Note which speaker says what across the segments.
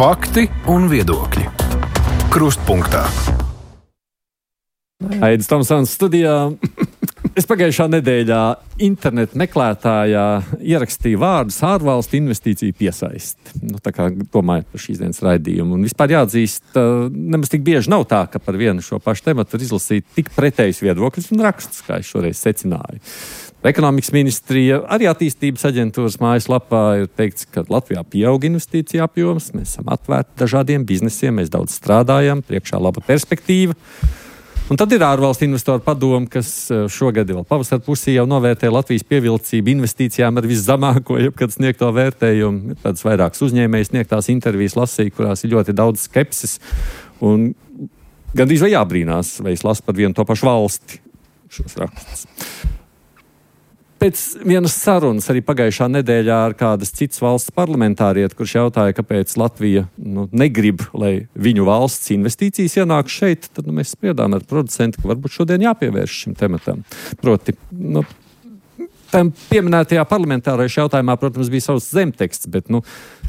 Speaker 1: Fakti un viedokļi. Krustpunktā.
Speaker 2: Aidis Tomsons studijā. Es pagājušā nedēļā internetu meklētājā ierakstīju vārdus ārvalstu investīciju piesaist. Tā kā domāju par šīs dienas raidījumu. Un vispār jāatzīst, nemaz tik bieži nav tā, ka par vienu šo pašu tematu var izlasīt tik pretējus viedokļus un rakstus, kā es šoreiz secināju. Ekonomikas ministrija, arī attīstības aģentūras mājaslapā ir teikts, ka Latvijā pieaug investīcija apjoms, mēs esam atvērti dažādiem biznesiem, mēs daudz strādājam, priekšā laba perspektīva. Un tad ir ārvalstu investoru padome, kas šogad vēl pavasara pusī jau novērtē Latvijas pievilcību investīcijām ar viszemāko jebkad sniegto vērtējumu. Ir tādas vairākas uzņēmējas sniegtās intervijas lasīju, kurās ir ļoti daudz skepsis. Un gandrīz vai jābrīnās, vai es lasu par vienu to pašu valsti šos rakstus. Pēc vienas sarunas arī pagājušā nedēļā ar kādas citas valsts parlamentārieti, kurš jautāja, kāpēc Latvija negrib, lai viņu valsts investīcijas ienāk šeit, tad mēs spriedām ar producentu, ka varbūt šodien jāpievērš šim tematam. Proti, tam pieminētajā parlamentārajā jautājumā, protams, bija savs zemteksts, bet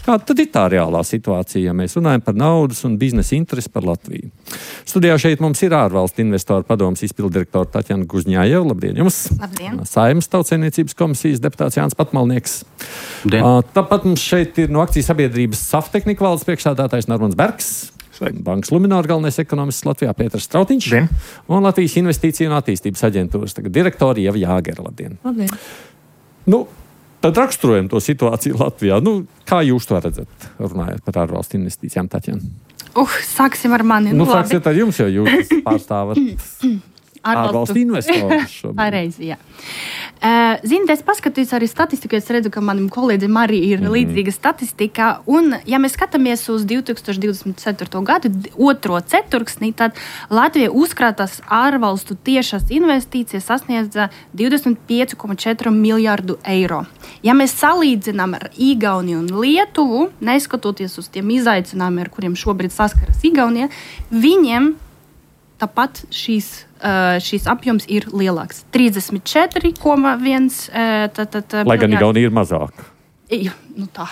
Speaker 2: kāda tad ir tā reālā situācija, ja mēs runājam par naudas un biznesa interesi par Latviju? Studijā šeit mums ir ārvalstu investoru padomes izpildirektora Taķena Gužņājeva. Labdien jums!
Speaker 3: Labdien!
Speaker 2: Saeimas Tautsaimniecības komisijas deputāts Jānis Patmalnieks.
Speaker 4: Labdien!
Speaker 2: Tāpat mums šeit ir no akciju sabiedrības Saftehnika valdes priekšsēdētājs Normons Bergs. Bankas Luminor galvenais ekonomists Latvijā Pēters Strautiņš.
Speaker 4: Labdien.
Speaker 2: Un Latvijas investīciju un attīstības aģentūras direktori Ieva Jāgera. Labdien!
Speaker 3: Labdien!
Speaker 2: Tad raksturojam to situāciju Latvijā. Kā jūs to redzat, runājot par ārvalstu investīcijām, Taķena?
Speaker 3: Sāksim ar mani.
Speaker 2: Sāksiet ar jums, jo jūs pārstāvat ārvalstu investorus šobrīd.
Speaker 3: Pareizi, jā. Ziniet, es paskatījos arī statistiku, es redzu, ka manim kolēģim arī ir līdzīga statistika. Un, ja mēs skatāmies uz 2024. gadu, otro ceturksnī, tad Latvija uzkrātās ārvalstu tiešās investīcijas sasniedza 25,4 miljārdu eiro. Ja mēs salīdzinām ar Igauniju un Lietuvu, neskatoties uz tiem izaicinājumiem, ar kuriem šobrīd saskaras Igaunija, viņiem tāpat šīs apjoms ir lielāks. 34,1.
Speaker 2: Lai gan Igaunija ir mazāka.
Speaker 3: Tā,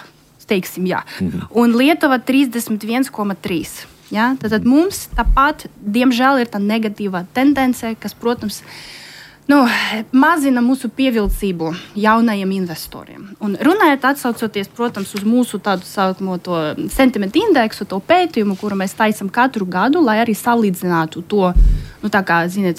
Speaker 3: teiksim, jā. Un Lietuva 31,3. Ja? Tad mums tāpat, diemžēl, ir tā negatīvā tendence, kas, protams, mazina mūsu pievilcību jaunajiem investoriem. Un runājot, atsaucoties, protams, uz mūsu tādu saucamo to sentimentu indeksu, to pētījumu, kuru mēs taisam katru gadu, lai arī salīdzinātu to, tā kā, ziniet,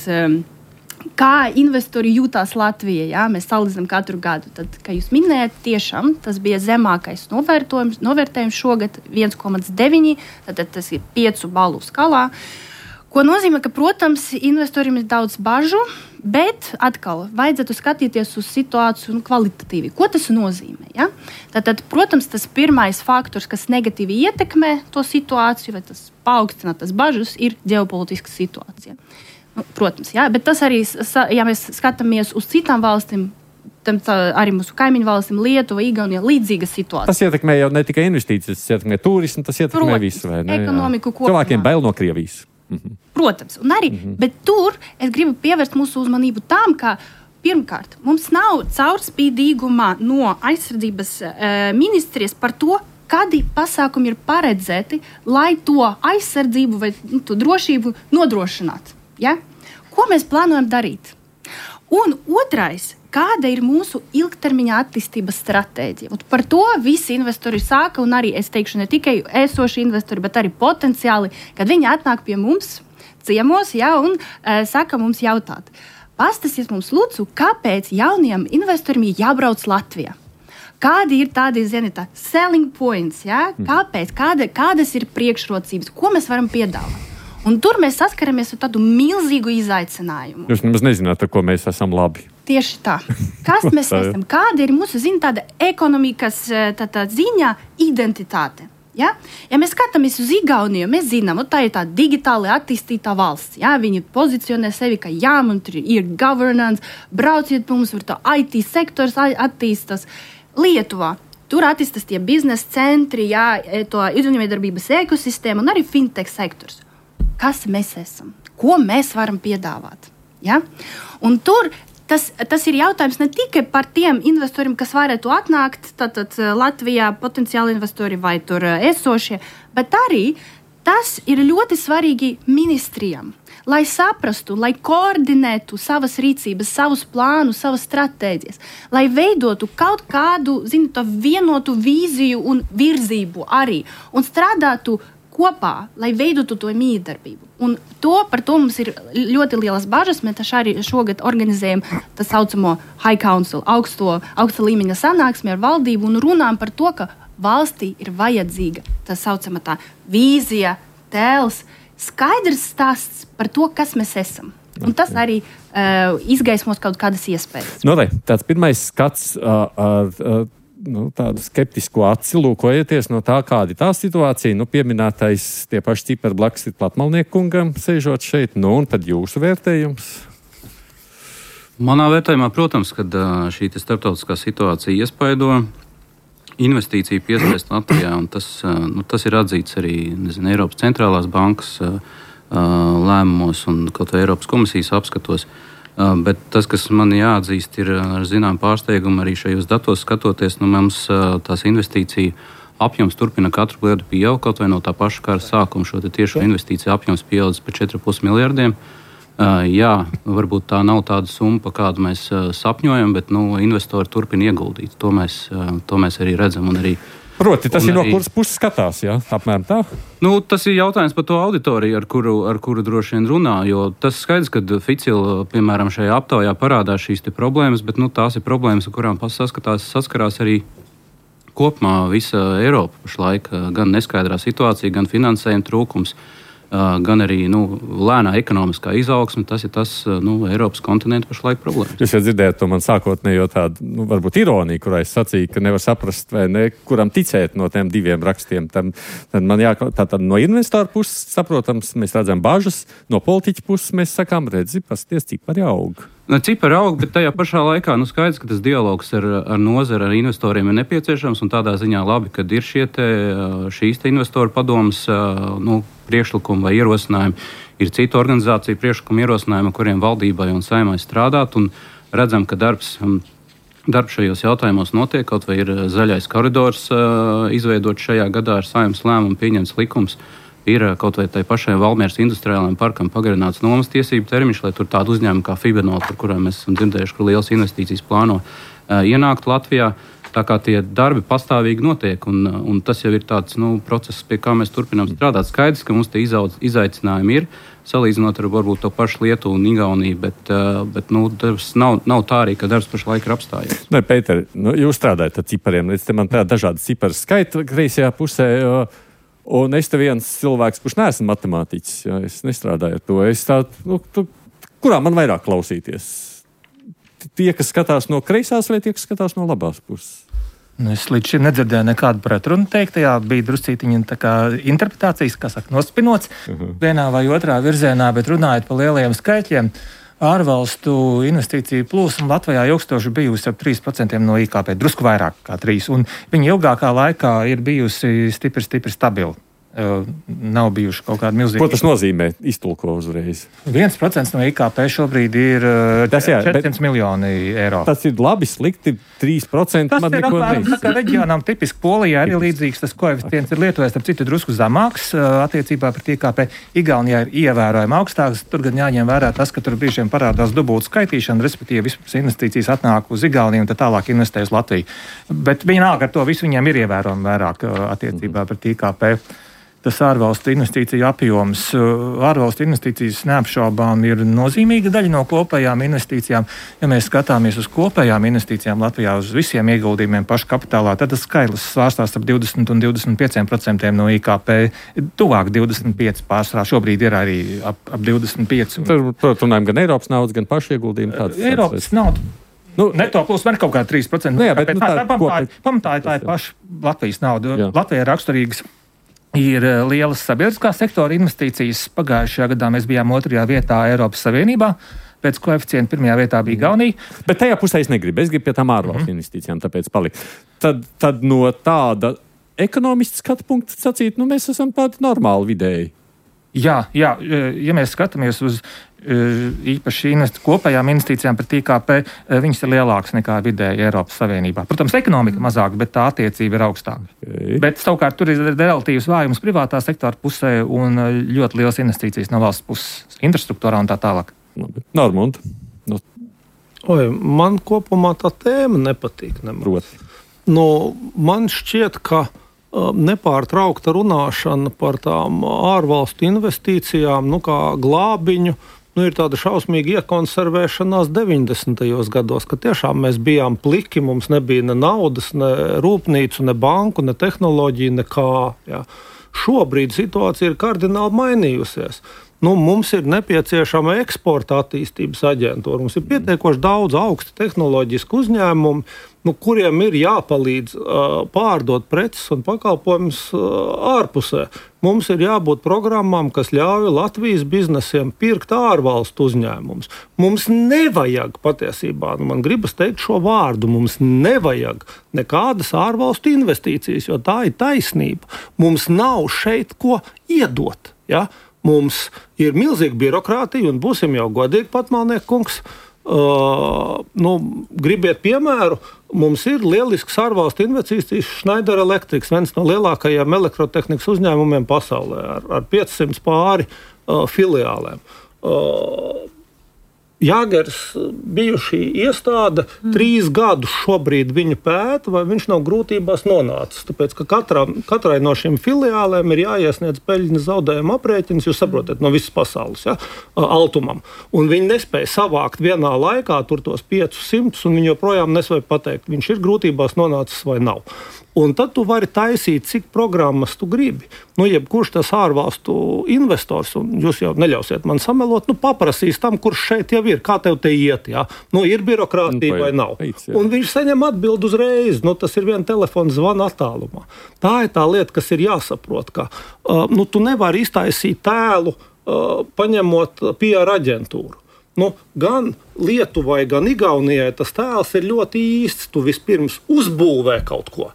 Speaker 3: kā investori jūtās Latvijā. Ja? Mēs salīdzinām katru gadu. Tad, kā jūs minējat, tiešām tas bija zemākais novērtējums šogad 1,9, tad tas ir 5 balu skalā. Ko nozīmē, ka, protams, investoriem ir daudz bažu, bet atkal vajadzētu skatīties uz situāciju kvalitatīvi. Ko tas nozīmē? Ja? Tātad, protams, tas pirmais faktors, kas negatīvi ietekmē to situāciju, vai tas paaugstina tas bažas, ir ģeopolitiska situācija. Protams, ja? Bet tas arī, ja mēs skatāmies uz citām valstīm, arī mūsu kaimiņu valstīm, Lietuva, Igaunija, līdzīga situācija.
Speaker 2: Tas ietekmē jau ne tikai investīcijas, tas ietekmē turismu, tas ietekmē visu.
Speaker 3: Ekonomiku kopumā.
Speaker 2: Cilvēkiem bail no Krievijas.
Speaker 3: Protams, un arī, bet tur es gribu pievērst mūsu uzmanību tam, ka pirmkārt, mums nav caurspīdīguma no aizsardzības ministrijas par to, kādi pasākumi ir paredzēti, lai to aizsardzību vai to drošību nodrošinātu. Ja? Ko mēs plānojam darīt? Un otrais, kāda ir mūsu ilgtermiņa attīstības stratēģija? Un par to visi investori sāka, un arī, es teikšu, ne tikai esoši investori, bet arī potenciāli, kad viņi atnāk pie mums ciemos, ja, un saka mums jautāt. Pastāstiet mums, lūdzu, kāpēc jauniem investoriem jābrauc Latvijā? Kādi ir tādi, selling points, ja? Kāpēc? Kādas ir priekšrocības? Ko mēs varam piedāvāt? Un tur mēs saskaramies ar tādu milzīgu izaicinājumu.
Speaker 2: Jūs nemaz nezināt, ar ko mēs esam labi.
Speaker 3: Tieši tā. Kas mēs esam? Kāda ir mūsu tāda ekonomikas ziņā identitāte? Ja? Ja mēs skatāmies uz Igauniju, mēs zinām, tā ir tā digitāli attīstītā valsts. Ja? Viņi pozicionē sevi, ka mums ir governance, brauciet mums, tur tā IT sektors attīstas. Lietuvā. Tur attīstas tie biznesa centri, to uzņēmējdarbības ekosistēma un arī fintech sektors. Kas mēs esam? Ko mēs varam piedāvāt? Ja? Un tur tas ir jautājums ne tikai par tiem investoriem, kas varētu atnākt, tātad Latvijā potenciāli investori vai tur esošie, bet arī tas ir ļoti svarīgi ministrijām, lai saprastu, lai koordinētu savas rīcības, savus plānus, savas stratēģijas, lai veidotu kaut kādu, vienotu vīziju un virzību arī un strādātu kopā, lai veidotu to mītdarbību. Un par to mums ir ļoti lielas bažas. Mēs arī šogad organizējam tā saucamo High Council, augsta līmeņa sanāksmi ar valdību un runājam par to, ka valstī ir vajadzīga tā saucamā tā vīzija, tēls, skaidrs stāsts par to, kas mēs esam. Un tas arī izgaismos kaut kādas iespējas.
Speaker 2: Tāds pirmais skats tādu skeptisku aci lūkojieties no tā, kāda ir tā situācija. Pieminētais tie paši cipari blakus ir Platmalniekungam, sēžot šeit. Un tad jūsu vērtējums?
Speaker 4: Manā vērtējumā, protams, kad šī starptautiskā situācija iespaido investīciju piesaist Latvijā, un tas ir atzīts arī Eiropas centrālās bankas lēmumos un kaut vai Eiropas komisijas apskatos. Bet tas, kas man jāatzīst, ir ar zinām pārsteigumu arī šajos datos skatoties, mums tās investīciju apjoms turpina katru gadu pieaugt, kaut vai no tā paša kara sākuma šo tiešo investīciju apjoms pieaudzis par 4,5 miljardiem. Jā, varbūt tā nav tāda summa, pa kādu mēs sapņojam, bet investori turpina ieguldīt. To mēs arī redzam un arī.
Speaker 2: Proti, tas ir no kuras puses skatās, jā? Apmēram tā?
Speaker 4: Tas ir jautājums par to auditoriju, ar kuru droši vien runā, jo tas skaidrs, ka Ficil, piemēram, šajā aptaujā parādās šīs problēmas, bet tās ir problēmas, ar kurām saskarās arī kopumā visa Eiropa pašlaik, gan neskaidrā situācija, gan finansējuma trūkums, gan arī lēnā ekonomiskā izaugsme. Tas ir tas Eiropas kontinenta pašlaik problēmas.
Speaker 2: Jūs jau dzirdējāt to man sākotnējo tādu, varbūt ironiju, kurā es sacīju, ka nevar saprast, vai ne, kuram ticēt no tiem diviem rakstiem. Tad man tātad no investoru puses, saprotams, mēs redzam bažas, no politiķa puses mēs sakām, pasties, cipari aug.
Speaker 4: Cipari aug, bet tajā pašā laikā skaidrs, ka tas dialogs ar nozari, ar investoriem ir nepieciešams, un tādā ziņā labi, kad ir šīs investoru padomas priekšlikumi vai ierosinājumi. Ir citu organizāciju priekšlikumu ierosinājumi, kuriem valdībai un saimai strādāt, un redzam, ka darbs šajos jautājumos notiek, kaut vai ir zaļais koridors izveidot šajā gadā ar saimnes lēmumu pieņemts likums. Ir kaut vai tai pašai Valmieras industriālajiem parkam pagarināts nomas tiesību termiņš, lai tur tādu uzņēmumu kā Fibernol, par kurām mēs esam dzirdējuši, ka lielas investīcijas plāno ienākt Latvijā. Tā kā tie darbi pastāvīgi notiek, un tas jau ir tāds process, pie kā mēs turpinām strādāt. Skaidrs, ka mums tie izaicinājumi ir, salīdzinot ar varbūt to pašu Lietuvu un Igauniju, bet darbs nav tā arī, ka darbs pašlaik ir apstājies.
Speaker 2: Pēter, jūs strādājat ar cipariem, līdz te man prāt dažādi cipari skaita kreisajā pusē, un es te viens cilvēks, kurš neesmu matemātiķis, es nestrādāju ar to. Es kurā man vairāk klausīties? Tie, kas skatās no kreisās, vai tie, kas skatās no labās puses?
Speaker 5: Es līdz šim nedzirdēju nekādu pretrunu teiktajā. Bija druscītiņa interpretācijas, nospinots vienā vai otrā virzienā, bet runājot par lielajiem skaitļiem, ārvalstu investīciju plūsma Latvijā ilgstoši bijusi ap 3% no IKP, drusku vairāk kā 3%, un viņa ilgākā laikā ir bijusi stipri stabila. Nav bijuši kaut kādi milzīgi.
Speaker 2: Ko tas nozīmē? Iztulko uzreiz.
Speaker 5: 1% no IKP šobrīd ir 400 miljoni eiro.
Speaker 2: Tas ir labi, slikti, 3%.
Speaker 5: Tas ir apmēram tā kā reģionām tipiski. Polijā ir līdzīgs, tas koeficients ir Lietuvā, starp citu drusku zemāks attiecībā pret IKP. Igaunijā ir ievērojami augstāks. Tur gan jāņem vērā tas, ka tur brīžiem parādās dubultu skaitīšana, respektīvi vispār investīcijas atnāk uz Igauniju un tad tālāk investē uz Latviju. Bet viņi nāk ar to visu, viņiem ir ievērojami vairāk attiecībā pret IKP. Tas ārvalstu investīciju apjoms. Ārvalstu investīcijas neapšaubām ir nozīmīga daļa no kopējām investīcijām. Ja mēs skatāmies uz kopējām investīcijām Latvijā, uz visiem ieguldījumiem pašu kapitālā, tad tas skaitlis svārstās ap 20 un 25% no IKP. Tuvāk 25 pārsvarā. Šobrīd ir arī ap 25.
Speaker 2: Tur runājam gan Eiropas naudas, gan pašu ieguldījumu.
Speaker 5: Eiropas nauda. Neto plus var kaut kā 3%. Pamatā tā ir paša Latvijas nauda. Jā. Latvijai raksturīgas ir lielas sabiedriskās sektora investīcijas. Pagājušajā gadā mēs bijām 2. vietā Eiropas Savienībā. Pēc koeficienta 1. vietā bija Igaunija.
Speaker 2: Bet tajā pusē es negribu. Es gribu pie tām ārvalstu investīcijām, tāpēc palikt. Tad no tāda ekonomiska skatu punkta sacīt, mēs esam tādi normāli vidēji.
Speaker 5: Jā, ja mēs skatāmies uz īpaši kopējām investīcijām pret IKP, viņas ir lielākas nekā vidēji Eiropas Savienībā. Protams, ekonomika mazāk, bet tā attiecība ir augstāka. Bet savukārt tur ir relatīvs vājums privātā sektora pusē un ļoti liels investīcijas no valsts puses, infrastruktūrā un tā tālāk.
Speaker 2: Normund.
Speaker 6: Man kopumā tā tēma nepatīk. Man šķiet, ka nepārtraukta runāšana par tām ārvalstu investīcijām, kā glābiņu, ir tāda šausmīga iekonservēšanās 90. gados, ka tiešām mēs bijām pliki, mums nebija ne naudas, ne rūpnīcu, ne banku, ne tehnoloģiju, nekā. Jā. Šobrīd situācija ir kardināli mainījusies. Mums ir nepieciešama eksporta attīstības aģentūra. Mums ir pietiekoši daudz augstu tehnoloģisku uzņēmumu, kuriem ir jāpalīdz pārdot preces un pakalpojumus ārpusē. Mums ir jābūt programmām, kas ļauj Latvijas biznesiem pirkt ārvalstu uzņēmumus. Mums nevajag patiesībā, man gribas teikt šo vārdu, mums nevajag nekādas ārvalstu investīcijas, jo tā ir taisnība. Mums nav šeit ko iedot, ja? Mums ir milzīga birokrātija, un būsim jau godīgi, Patmalniek kungs. Gribiet piemēru, mums ir lielisks ārvalstu investīcijas Schneider Electric, viens no lielākajiem elektrotehnikas uzņēmumiem pasaulē, ar 500 pāri filiālēm. Jāgers bijušī iestāde 3 gadus šobrīd viņu pēta, vai viņš nav grūtībās nonācis. Tāpēc, ka katrai no šīm filiālēm ir jāiesniedz peļņas zaudējuma aprēķins, jūs saprotat, no visas pasaules, ja, Altumam. Un viņi nespēja savākt vienā laikā tur tos 500, un viņi joprojām nespēja pateikt, viņš ir grūtībās nonācis vai nav. Un tad tu vari taisīt, cik programmas tu gribi. Jebkurš tas ārvalstu investors, un jūs jau neļausiet man samelot, paprasīs tam, kurš šeit jau ir, kā tev te iet, jā. Ir birokrātija vai nav. Un viņš saņem atbildi uzreiz, tas ir viena telefona zvana attālumā. Tā ir tā lieta, kas ir jāsaprot, ka tu nevari iztaisīt tēlu, paņemot PR aģentūru. Gan Lietuvai, gan Igaunijai tas tēls ir ļoti īsts. Tu vispirms uzbūvē kaut ko.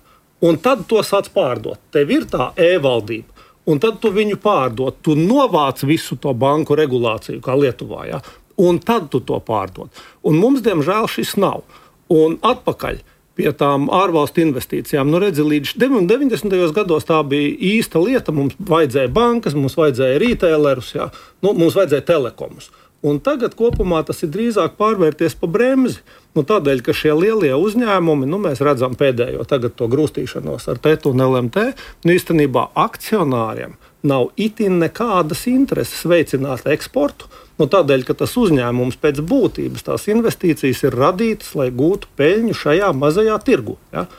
Speaker 6: Un tad to sāc pārdot. Tev ir tā e-valdība, un tad tu viņu pārdot. Tu novāc visu to banku regulāciju, kā Lietuvā, ja? Un tad tu to pārdod. Un mums, diemžēl, šis nav. Un atpakaļ pie tām ārvalstu investīcijām. Redzi, līdz 90. gados tā bija īsta lieta. Mums vajadzēja bankas, mums vajadzēja retailerus, ja? Mums vajadzēja telekomus. Un tagad kopumā tas ir drīzāk pārvērties pa bremzi. Tādēļ, ka šie lielie uzņēmumi, mēs redzam pēdējo tagad to grūstīšanos ar TET un LMT, īstenībā akcionāriem nav itin nekādas intereses veicināt eksportu. Tādēļ, ka tas uzņēmums pēc būtības, tās investīcijas ir radītas, lai gūtu peļņu šajā mazajā tirgu. Ja?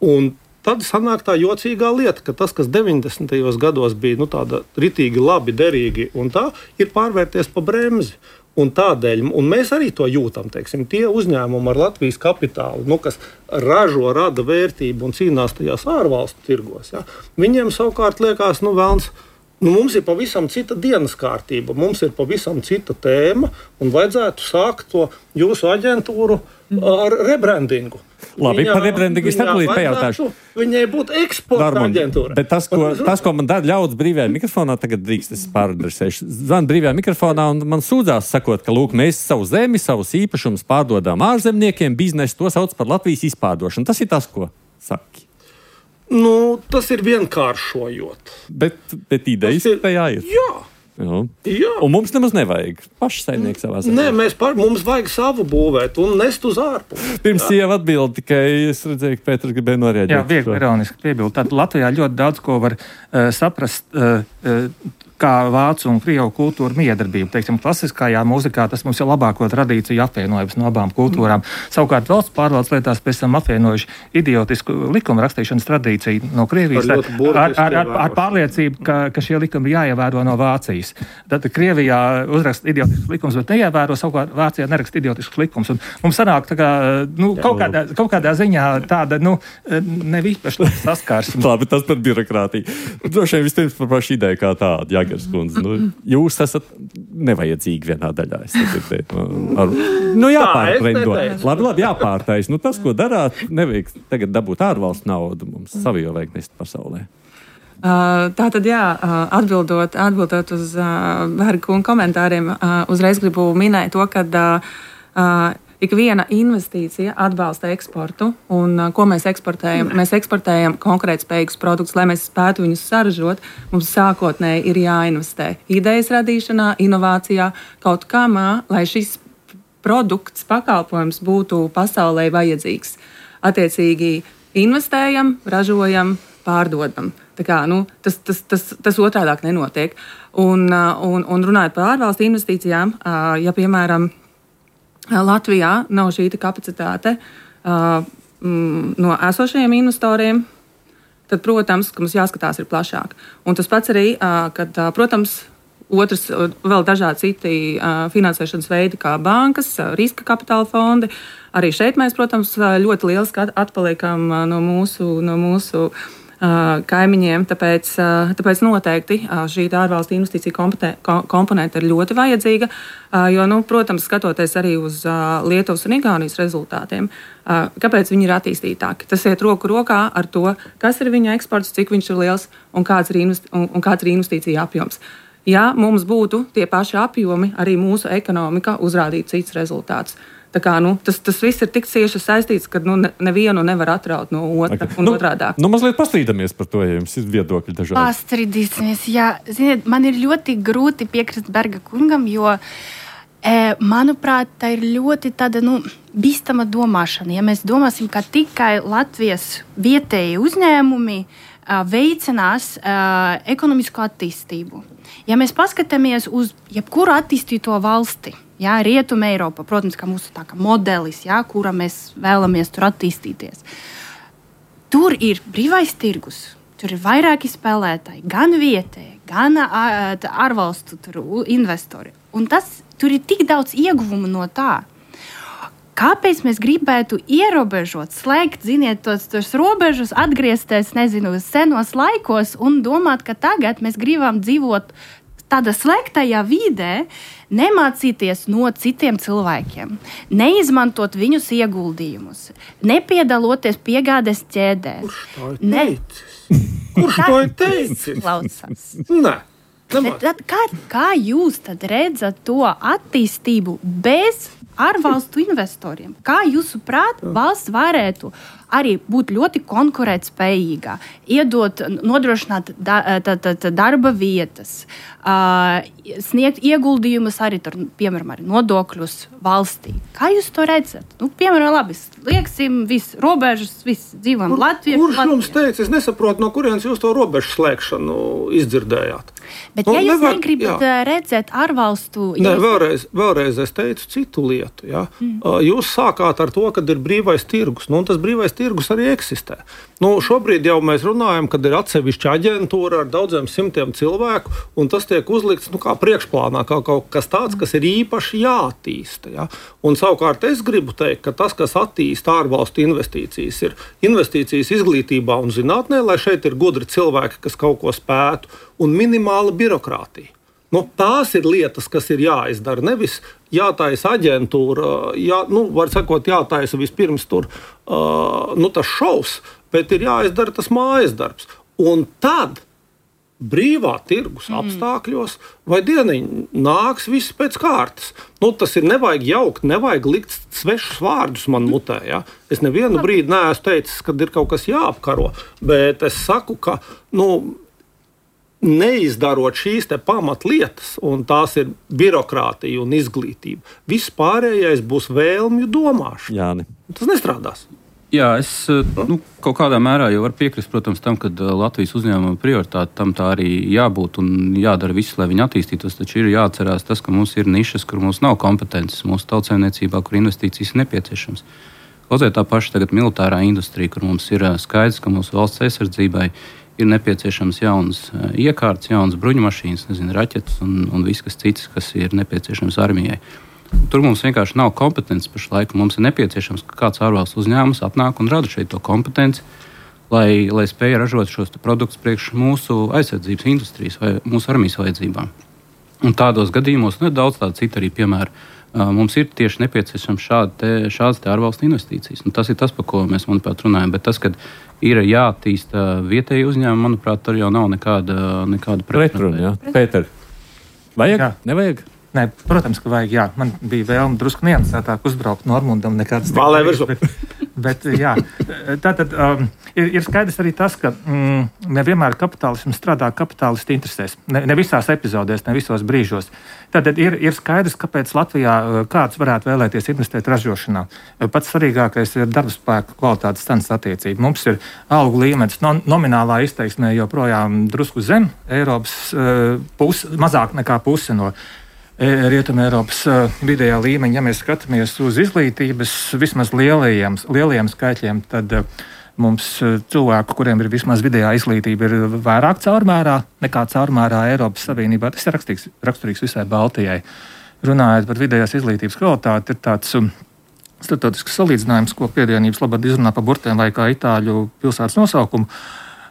Speaker 6: Un tad sanāk tā jocīgā lieta, ka tas, kas 90. gados bija tāda ritīgi labi, derīgi, un tā ir pārvērties pa bremzi. Un tādēļ, un mēs arī to jūtam, teiksim, tie uzņēmumi ar Latvijas kapitālu, kas rada vērtību un cīnās tajās ārvalstu tirgos, ja, viņiem savukārt liekas, velns, mums ir pavisam cita dienas kārtība, mums ir pavisam cita tēma, un vajadzētu sākt to jūsu aģentūru ar rebrandingu.
Speaker 2: Labi, par rebrandingu es tad pajautāšu.
Speaker 6: Viņai būtu eksporta aģentūra.
Speaker 2: Bet tas, ko man dara ļauts brīvajā mikrofonā, tagad drīkst, es pāradresēšu. Zvan brīvajā mikrofonā un man sūdzās sakot, ka, mēs savu zemi, savus īpašumus pārdodām ārzemniekiem, biznesu to sauc par Latvijas izpārdošanu. Tas ir tas, ko saki.
Speaker 6: Tas ir vienkāršojot.
Speaker 2: Bet idejas tajā ir.
Speaker 6: Jā.
Speaker 2: Jā. Un mums nemaz nevajag paši saimnieki savā zemē.
Speaker 6: Nē, mums vajag savu būvēt un nest uz ārpusi.
Speaker 2: Pirms sieva atbildi, tikai es redzēju, ka Pēters gribēja norēģēt.
Speaker 5: Jā, viegli ironiski piebildu. Tad Latvijā ļoti daudz ko var saprast, kā vācu un krievu kultūra miedarbība. Teiksim, klasiskajā mūzikā tas mums ir labāko tradīciju apvienojums no abām kultūrām. Savukārt valsts pārvaldes lietās pēc tam apvienojuši idiotisku likuma rakstīšanas tradīciju no Krievijas ar pārliecību, ka šie likumi ir jāievēro no Vācijas. Tad Krievijā uzraksta idiotisks likums, bet neievēro, savukārt Vācijā neraksta idiotisks likums. Un mums sanāk tā kā, kaut kādā ziņā tāda, nevīpaši saskarsme.
Speaker 2: Labi, tas par birokrātiju. Droši vien vispirms par pašu ideju kā tādu. Jāgers kundze, jūs esat nevajadzīgi vienā daļā. Jāpārtrendot. Labi, jāpārtais. Tas, ko darāt, nevajag tagad dabūt ārvalstu naudu. Mums savu jau vajag nest pasaulē.
Speaker 7: Tātad, atbildot uz Berga kunga komentāriem, uzreiz gribu minēt to, ka ik viena investīcija atbalsta eksportu, un ko mēs eksportējam? Mēs eksportējam konkurētspējīgus produktus, lai mēs spētu viņus saražot. Mums sākotnēji ir jāinvestē idejas radīšanā, inovācijā, kaut kamā, lai šis produkts, pakalpojums būtu pasaulē vajadzīgs. Attiecīgi investējam, ražojam, pārdodam. Tā kā, tas otrādāk nenotiek. Un runājot par ārvalstu investīcijām, ja, piemēram, Latvijā nav šī kapacitāte no esošajiem investoriem, tad, protams, ka mums jāskatās ir plašāk. Un tas pats arī, kad, protams, otrs vēl dažādi citi finansēšanas veidi, kā bankas, riska kapitāla fondi. Arī šeit mēs, protams, ļoti lieliski atpaliekam no mūsu kaimiņiem, tāpēc noteikti šī ārvalstu investīcija komponente ir ļoti vajadzīga, jo, protams, skatoties arī uz Lietuvas un Igaunijas rezultātiem, kāpēc viņi ir attīstītāki. Tas iet roku rokā ar to, kas ir viņa eksports, cik viņš ir liels un kāds ir investīcija apjoms. Ja mums būtu tie paši apjomi, arī mūsu ekonomika uzrādītu cits rezultāts. Tā kā, tas viss ir tik cieši saistīts, ka nevienu nevar atraut no otra un otrādāk.
Speaker 2: Mazliet pastrīdamies par to, ja jums ir viedokļi dažādi.
Speaker 3: Pastrīdīsimies, jā. Ziniet, man ir ļoti grūti piekrist Berga kungam, jo, manuprāt, tā ir ļoti tāda, bīstama domāšana. Ja mēs domāsim, ka tikai Latvijas vietēji uzņēmumi veicinās ekonomisko attīstību. Ja mēs paskatāmies uz jebkuru attīstīto valsti, Rietuma Eiropa, protams, ka mūsu tā kā modelis, kura mēs vēlamies tur attīstīties. Tur ir brīvais tirgus, tur ir vairāki spēlētāji, gan vietēji, gan ārvalstu investori. Un tur ir tik daudz ieguvumu no tā. Kāpēc mēs gribētu ierobežot, slēgt, tos robežus, atgriezties, uz senos laikos un domāt, ka tagad mēs gribam dzīvot tādā slēgtajā vidē, nemācīties no citiem cilvēkiem, neizmantot viņus ieguldījumus, nepiedaloties piegādes ķēdē.
Speaker 6: Kurš to ir teicis?
Speaker 3: Klausās. Kā jūs tad redzat to attīstību bez ārvalstu investoriem? Kā jūsuprāt, valsts varētu arī būt ļoti konkurētspējīga, nodrošināt darba vietas, sniegt ieguldījumus arī, piemēram, arī nodokļus valstī? Kā jūs to redzat? Piemēram, labi, lieksim visu robežas, visu dzīvojam Latvijā.
Speaker 6: Kurš jums teica? Es nesaprotu, no kurienes jūs to robežu slēgšanu izdzirdējāt.
Speaker 3: Bet ja jūs negribat redzēt ārvalstu...
Speaker 6: Nē, vēlreiz es teicu citu lietu. Ja? Jūs sākāt ar to, kad ir brīvais tirgus. Un tas brīvais tirgus arī eksistē. Šobrīd jau mēs runājam, kad ir atsevišķa aģentūra ar daudziem simtiem cilvēku, un tas tiek uzlikts kā priekšplānā, kā kaut kas tāds, kas ir īpaši jāattīsta. Ja? Un savukārt es gribu teikt, ka tas, kas attīsta ārvalstu investīcijas, ir investīcijas izglītībā un zinātnē, lai šeit ir gudri cilvēki, kas kaut ko spētu, un minimāla birokrātija. Tās ir lietas, kas ir jāizdara. Nevis jātaisa aģentūra, var sakot, jātaisa vispirms tas šovs, bet ir jāizdara tas mājas darbs. Un tad brīvā tirgus apstākļos vai dieniņ nāks viss pēc kārtas. Tas ir nevajag jaukt, nevajag likt svešus vārdus man mutē. Ja? Es nevienu brīdi neesmu teicis, kad ir kaut kas jāapkaro, bet es saku, ka, neizdarot šīs pamatlietas, un tās ir birokrātija un izglītība, viss pārējais būs vēlmju domāšana.
Speaker 2: Jāni.
Speaker 6: Tas nestrādās.
Speaker 4: Jā, es kaut kādā mērā jau varu piekrist, protams, tam, ka Latvijas uzņēmuma prioritāte tam tā arī jābūt un jādara viss, lai viņi attīstītos. Taču ir jāatcerās tas, ka mums ir nišas, kur mums nav kompetences mūsu tautsēmniecībā, kur investīcijas ir nepieciešams. Kaut tā paša tagad militārā industrija, kur mums ir skaidrs, ka mūsu valsts aizsardzībai ir nepieciešams jaunas iekārtas, jaunas bruņumašīnas, raķetes un viss kas cits, kas ir nepieciešams armijai. Tur mums vienkārši nav kompetences pašlaik. Mums ir nepieciešams, ka kāds ārvalstu uzņēmums atnāk un rada šeit to kompetenci, lai spēja ražot šos produktus priekš mūsu aizsardzības industrijas vai mūsu armijas vajadzībām. Un tādos gadījumos, daudz tādu citu arī piemēru, mums ir tieši nepieciešams šādas ārvalstu investīcijas. Tas ir tas, par ko mēs, manuprāt, runājam. Bet tas, kad ir jāattīsta vietēji uzņēmumi, manuprāt, tur jau nav nekāda
Speaker 2: pretruna. Pēter, vajag? Nevajag?
Speaker 5: Nē, protams, ka vajag, jā. Man bija vēlme drusku niansētāk uzbraukt Normundam nekādas
Speaker 6: Vālē virsū.
Speaker 5: Bet jā, tātad ir skaidrs arī tas, ka nevienmēr kapitālisms strādā kapitālistu interesēs. Ne visās epizodēs, ne visos brīžos. Tātad ir skaidrs, kāpēc Latvijā kāds varētu vēlēties investēt ražošanā. Pats svarīgākais ir darba spēka kvalitātes cenas attiecība. Mums ir algu līmenis nominālā izteiksmē joprojām drusku zem Eiropas mazāk nekā puse no Rietuma Eiropas vidējā līmeņa. Ja mēs skatāmies uz izglītības vismaz lielajiem skaitļiem, tad mums cilvēku, kuriem ir vismaz vidējā izglītība, ir vairāk caurmērā nekā caurmērā Eiropas Savienībā. Tas ir raksturīgs visai Baltijai. Runājot par vidējās izglītības kvalitāti, ir tāds starptautisks salīdzinājums, ko piedienības labad izrunā pa burtiem vai kā itāļu pilsētas nosaukumu.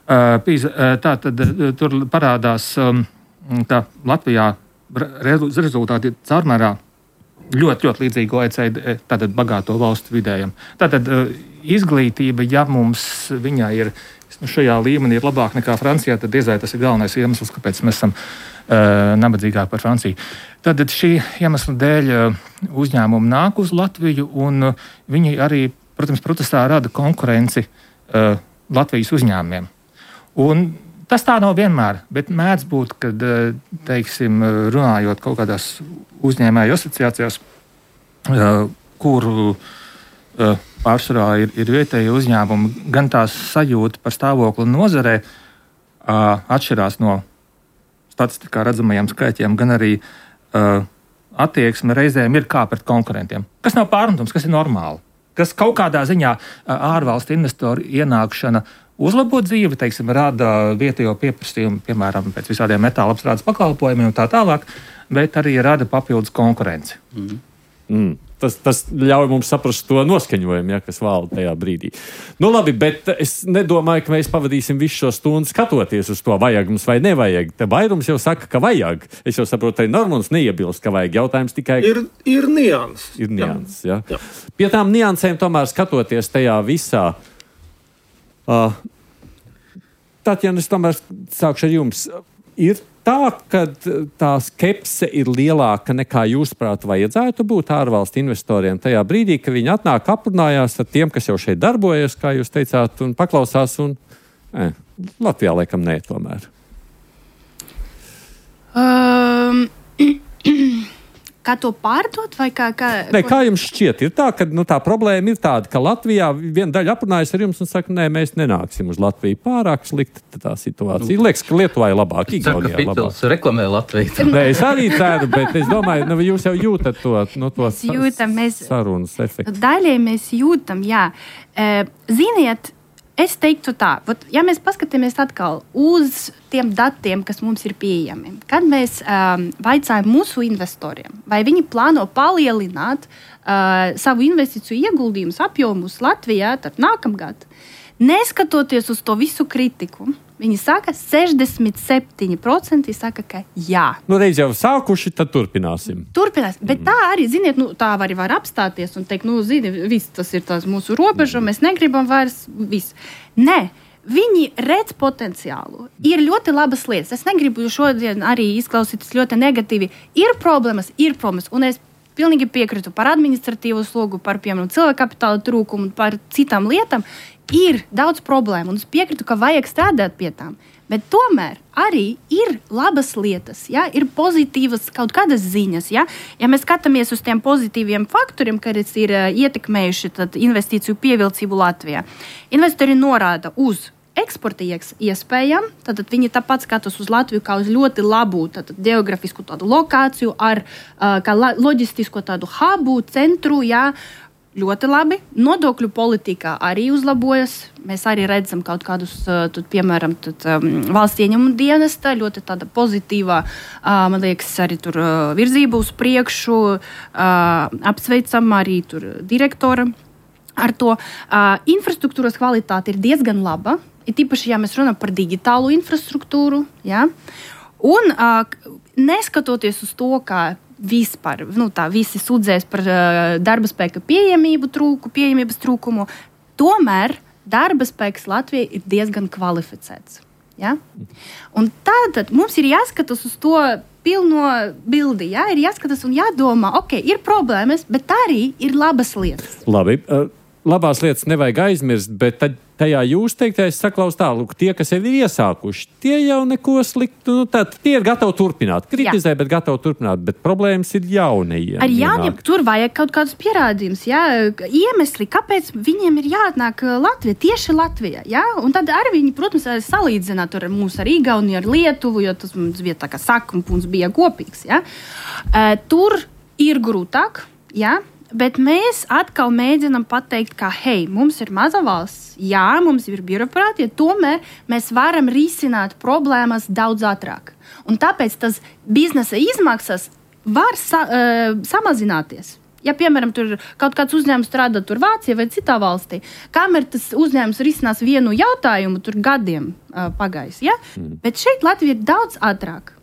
Speaker 5: Tātad tur parādās, ka Latvijā rezultāti ir caurmērā ļoti līdzīgi OECD, tātad bagāto valstu vidējam. Tātad izglītība, ja mums viņā ir šajā līmenī ir labāk nekā Francijā, tad diezai tas ir galvenais iemesls, kāpēc mēs esam nabadzīgāki par Franciju. Tad šī iemesla dēļ uzņēmumi nāk uz Latviju, un viņi arī, protams, protestā rada konkurenci Latvijas uzņēmumiem. Un tas tā nav vienmēr, bet mēdz būt, kad, teiksim, runājot kaut kādās uzņēmēju asociācijās, kuru pārsvarā ir vietēji uzņēmumi, gan tās sajūta par stāvokli nozarē atšķirās no statistikā redzamajiem skaitļiem, gan arī attieksme reizēm ir kā pret konkurentiem. Kas nav pārmetums, kas ir normāli. Kas kaut kādā ziņā ārvalstu investoru ienākšana uzlabot dzīvi, teiksim, rada vietējo pieprasījumu, piemēram, pēc visādiem metāla apstrādes pakalpojumiem un tā tālāk, bet arī rada papildus konkurenci.
Speaker 2: Tas ļauj mums saprast to noskaņojumu, kas valda tajā brīdī. Nu labi, bet es nedomāju, ka mēs pavadīsim visu šo stundu skatoties uz to, vajag mums vai nevajag. Te vairums jau saka, ka vajag. Es jau saprotu, arī Normunds neiebilst, ka vajag. Jautājums tikai...
Speaker 6: Ir nianses.
Speaker 2: Ir nianses, jā. Pie tām niansēm tomēr skatoties tajā visā... Tatjana, es tomēr sākšu ar jums. Ir tā, ka tā skepse ir lielāka nekā jūsuprāt vajadzētu būt ārvalstu investoriem tajā brīdī, ka viņi atnāk aprunājās ar tiem, kas jau šeit darbojas, kā jūs teicāt, un paklausās, un Latvijā laikam nē tomēr.
Speaker 3: Kā to pārdot? Vai kā
Speaker 2: jums šķiet? Ir tā, ka tā problēma ir tāda, ka Latvijā viena daļa aprunājas ar jums un saka, nē, mēs nenāksim uz Latviju. Pārāk slikta tā situācija. Liekas, ka Lietuvā ir labāk, Igaunijā labāk.
Speaker 4: Fitils reklamē Latviju.
Speaker 2: Nē, es arī ceru, bet es domāju, jūs jau jūtat to sarunas efektu.
Speaker 3: Daļai mēs jūtam, jā. Ziniet, es teiktu tā, ja mēs paskatāmies atkal uz tiem datiem, kas mums ir pieejami, kad mēs vaicājam mūsu investoriem, vai viņi plāno palielināt savu investīciju ieguldījumus apjomus Latvijā tad nākamgad, neskatoties uz to visu kritiku, viņi saka, 67% saka, ka jā.
Speaker 2: Reiz jau sākuši, tad turpināsim.
Speaker 3: Bet tā arī, ziniet, tā arī var apstāties un teikt, viss tas ir tās mūsu robeža, mēs negribam vairs viss. Nē, viņi redz potenciālu. Ir ļoti labas lietas. Es negribu šodien arī izklausīties ļoti negatīvi. Ir problēmas, un es pilnīgi piekrītu par administratīvo slogu, par, piemēram, cilvēku kapitāla trūkumu un par citām lietām. Ir daudz problēmu, un es piekrītu, ka vajag strādāt pie tām. Bet tomēr arī ir labas lietas, ja? Ir pozitīvas kaut kādas ziņas. Ja mēs skatāmies uz tiem pozitīviem faktoriem, kas ir ietekmējuši investīciju pievilcību Latvijā, investori norāda uz eksporta iespējām, tad viņi tāpat skatās uz Latviju kā uz ļoti labu geografisku tādu lokāciju, kā loģistisko tādu hubu, centru, ja? Ļoti labi. Nodokļu politikā arī uzlabojas. Mēs arī redzam kaut kādus, piemēram, valsts ieņēmumu dienesta, ļoti tāda pozitīvā, man liekas, arī tur virzība uz priekšu, apsveicam arī tur direktora ar to. Infrastruktūras kvalitāte ir diezgan laba, ir tīpaši, ja mēs runājam par digitālu infrastruktūru, ja? Un neskatoties uz to, ka vispār, visi sūdzēs par darba spēka pieejamības trūkumu. Tomēr darba spēks Latvijā ir diezgan kvalificēts. Ja? Un tātad mums ir jāskatās uz to pilno bildi, ja? Ir jāskatās un jādomā, ir problēmas, bet arī ir labas lietas.
Speaker 2: Labi, labās lietas nevajag aizmirst, bet tad tajā jūs teiktais saklaus tā, lūk, tie, kas jau ir iesākuši, tie jau neko sliktu, tie ir gatavi turpināt, kritizē, bet gatavi turpināt, bet problēmas ir jaunajiem.
Speaker 3: Ar jauniem tur vajag kaut kādus pierādījumus, ja? Iemesli, kāpēc viņiem ir jāatnāk Latvijā, tieši Latvijā, ja? Un tad arī viņi, protams, salīdzināt ar mūs ar Igauniju, ar Lietuvu, jo tas mums bija tā kā sakums bija kopīgs, ja? Tur ir grūtāk, ja? Bet mēs atkal mēģinām pateikt, ka, mums ir maza valsts, mums ir birokrātija, tomēr mēs varam risināt problēmas daudz ātrāk. Un tāpēc tas biznesa izmaksas var samazināties. Ja, piemēram, tur kaut kāds uzņēmums strādā tur Vācijā vai citā valstī, kamēr tas uzņēmums risinās vienu jautājumu, tur gadiem pagājis. Ja? Bet šeit Latvija ir daudz ātrāk.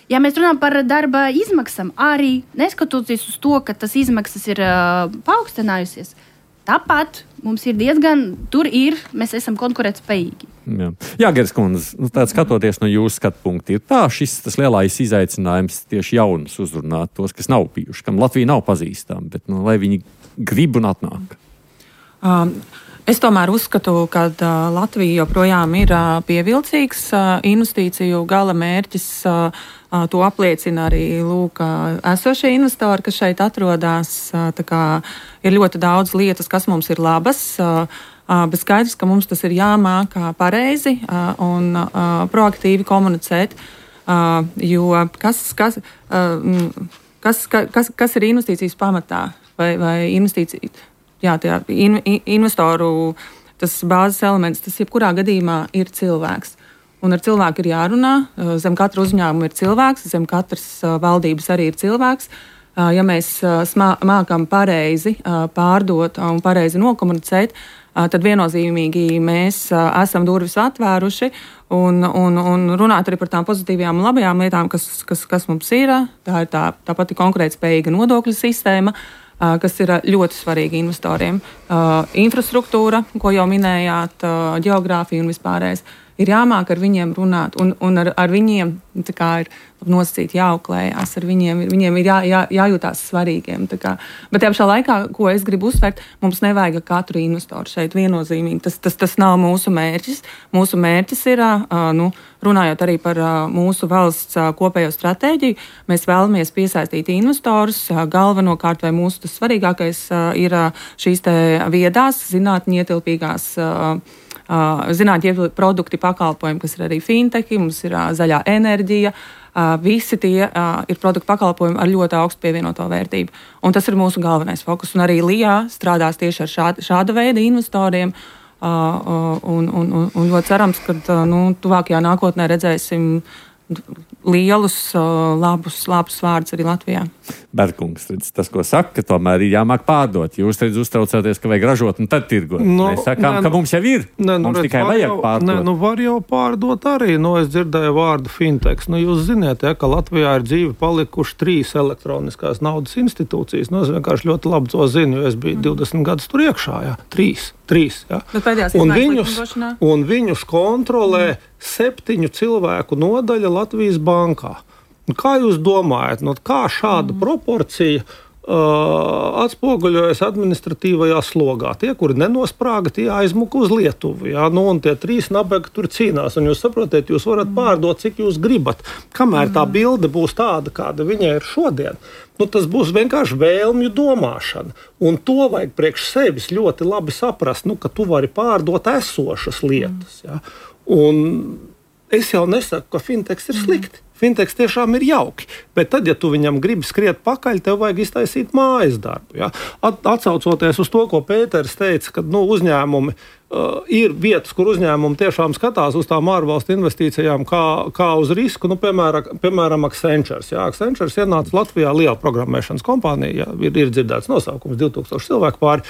Speaker 3: Ja mēs runājam par darba izmaksām, arī neskatoties uz to, ka tas izmaksas ir paaugstinājusies, tāpat mums ir mēs esam konkurētspējīgi.
Speaker 2: Jā, Geras kundze, skatoties no jūsu skatu punkta, ir tā tas lielais izaicinājums tieši jaunus uzrunāt, tos, kas nav bijuši, kam Latvija nav pazīstama, bet lai viņi grib un atnāk.
Speaker 7: Es tomēr uzskatu, ka Latvija joprojām ir pievilcīgs investīciju gala mērķis. To apliecina arī esošie investori, kas šeit atrodas. Ir ļoti daudz lietas, kas mums ir labas, bet skaidrs, ka mums tas ir jāmāk pareizi un proaktīvi komunicēt. Jo kas ir investīcijas pamatā vai investīcija? Jā, investoru tas bāzes elements, tas jebkurā gadījumā ir cilvēks. Un ar cilvēku ir jārunā, zem katra uzņēmuma ir cilvēks, zem katras valdības arī ir cilvēks. Ja mēs mākam pareizi pārdot un pareizi nokomunicēt, tad viennozīmīgi mēs esam durvis atvēruši un runāt arī par tām pozitīvajām un labajām lietām, kas mums ir. Tā ir tā pati konkurētspējīga nodokļu sistēma, kas ir ļoti svarīgi investoriem. Infrastruktūra, ko jau minējāt, geogrāfija un vispārējais. Ir jāmāk ar viņiem runāt, un ar viņiem ir nosacīti jāauklējās, ar viņiem ir jājūtās svarīgiem. Bet tajā pašā laikā, ko es gribu uzsvērt, mums nevajag katru investoru šeit viennozīmīgi. Tas nav mūsu mērķis. Mūsu mērķis ir, runājot arī par mūsu valsts kopējo stratēģiju, mēs vēlamies piesaistīt investorus. Galvenokārt vai mūsu tas svarīgākais ir šīs te viedās, zinātņu ietilpīgās produkti, pakalpojumi, kas ir arī fintechi, mums ir zaļā enerģija. Visi tie ir produktu pakalpojumi ar ļoti augstu pievienoto vērtību. Un tas ir mūsu galvenais fokus. Un arī LIA strādās tieši ar šāda veida investoriem. Un ļoti cerams, ka tuvākajā nākotnē redzēsim lielus, labus vārdus arī Latvijā.
Speaker 2: Berkungs, tas, ko saka, tomēr ir jāmāk pārdot. Jūs uztraucaties, ka vajag ražot un tad tirgot. Mēs sakām, ka mums jau ir. Mums tikai vajag pārdot.
Speaker 6: Var jau pārdot arī. Es dzirdēju vārdu fintechs. Jūs ziniet, ka Latvijā ir dzīve palikuši 3 elektroniskās naudas institūcijas. Es vienkārši ļoti labi to zinu, jo es biju 20 gadus tur iekšā. Jā. 3. Jā. Un viņus kontrolē 7 cilvēku nodaļa Latvijas bankā. Kā jūs domājat, kā šāda proporcija atspoguļojas administratīvajā slogā? Tie, kuri nenosprāga, tie aizmuka uz Lietuvu. Jā? Un tie 3 nabagi tur cīnās. Un jūs saprotat, jūs varat pārdot, cik jūs gribat. Kamēr tā bilde būs tāda, kāda viņa ir šodien, tas būs vienkārši vēlmju domāšana. Un to vajag priekš sevis ļoti labi saprast, ka tu vari pārdot esošas lietas. Jā? Un es jau nesaku, ka fintechs ir slikti. Fintechs tiešām ir jauki, bet tad, ja tu viņam gribi skriet pakaļ, tev vajag iztaisīt mājas darbu. Ja? Atsaucoties uz to, ko Pēters teica, ka uzņēmumi ir vietas, kur uzņēmumi tiešām skatās uz tām ārvalstu investīcijām kā uz risku, piemēram, Accenture. Ja? Accenture ienāca Latvijā, liela programmēšanas kompānija, ir dzirdēts nosaukums, 2000 cilvēku pāri.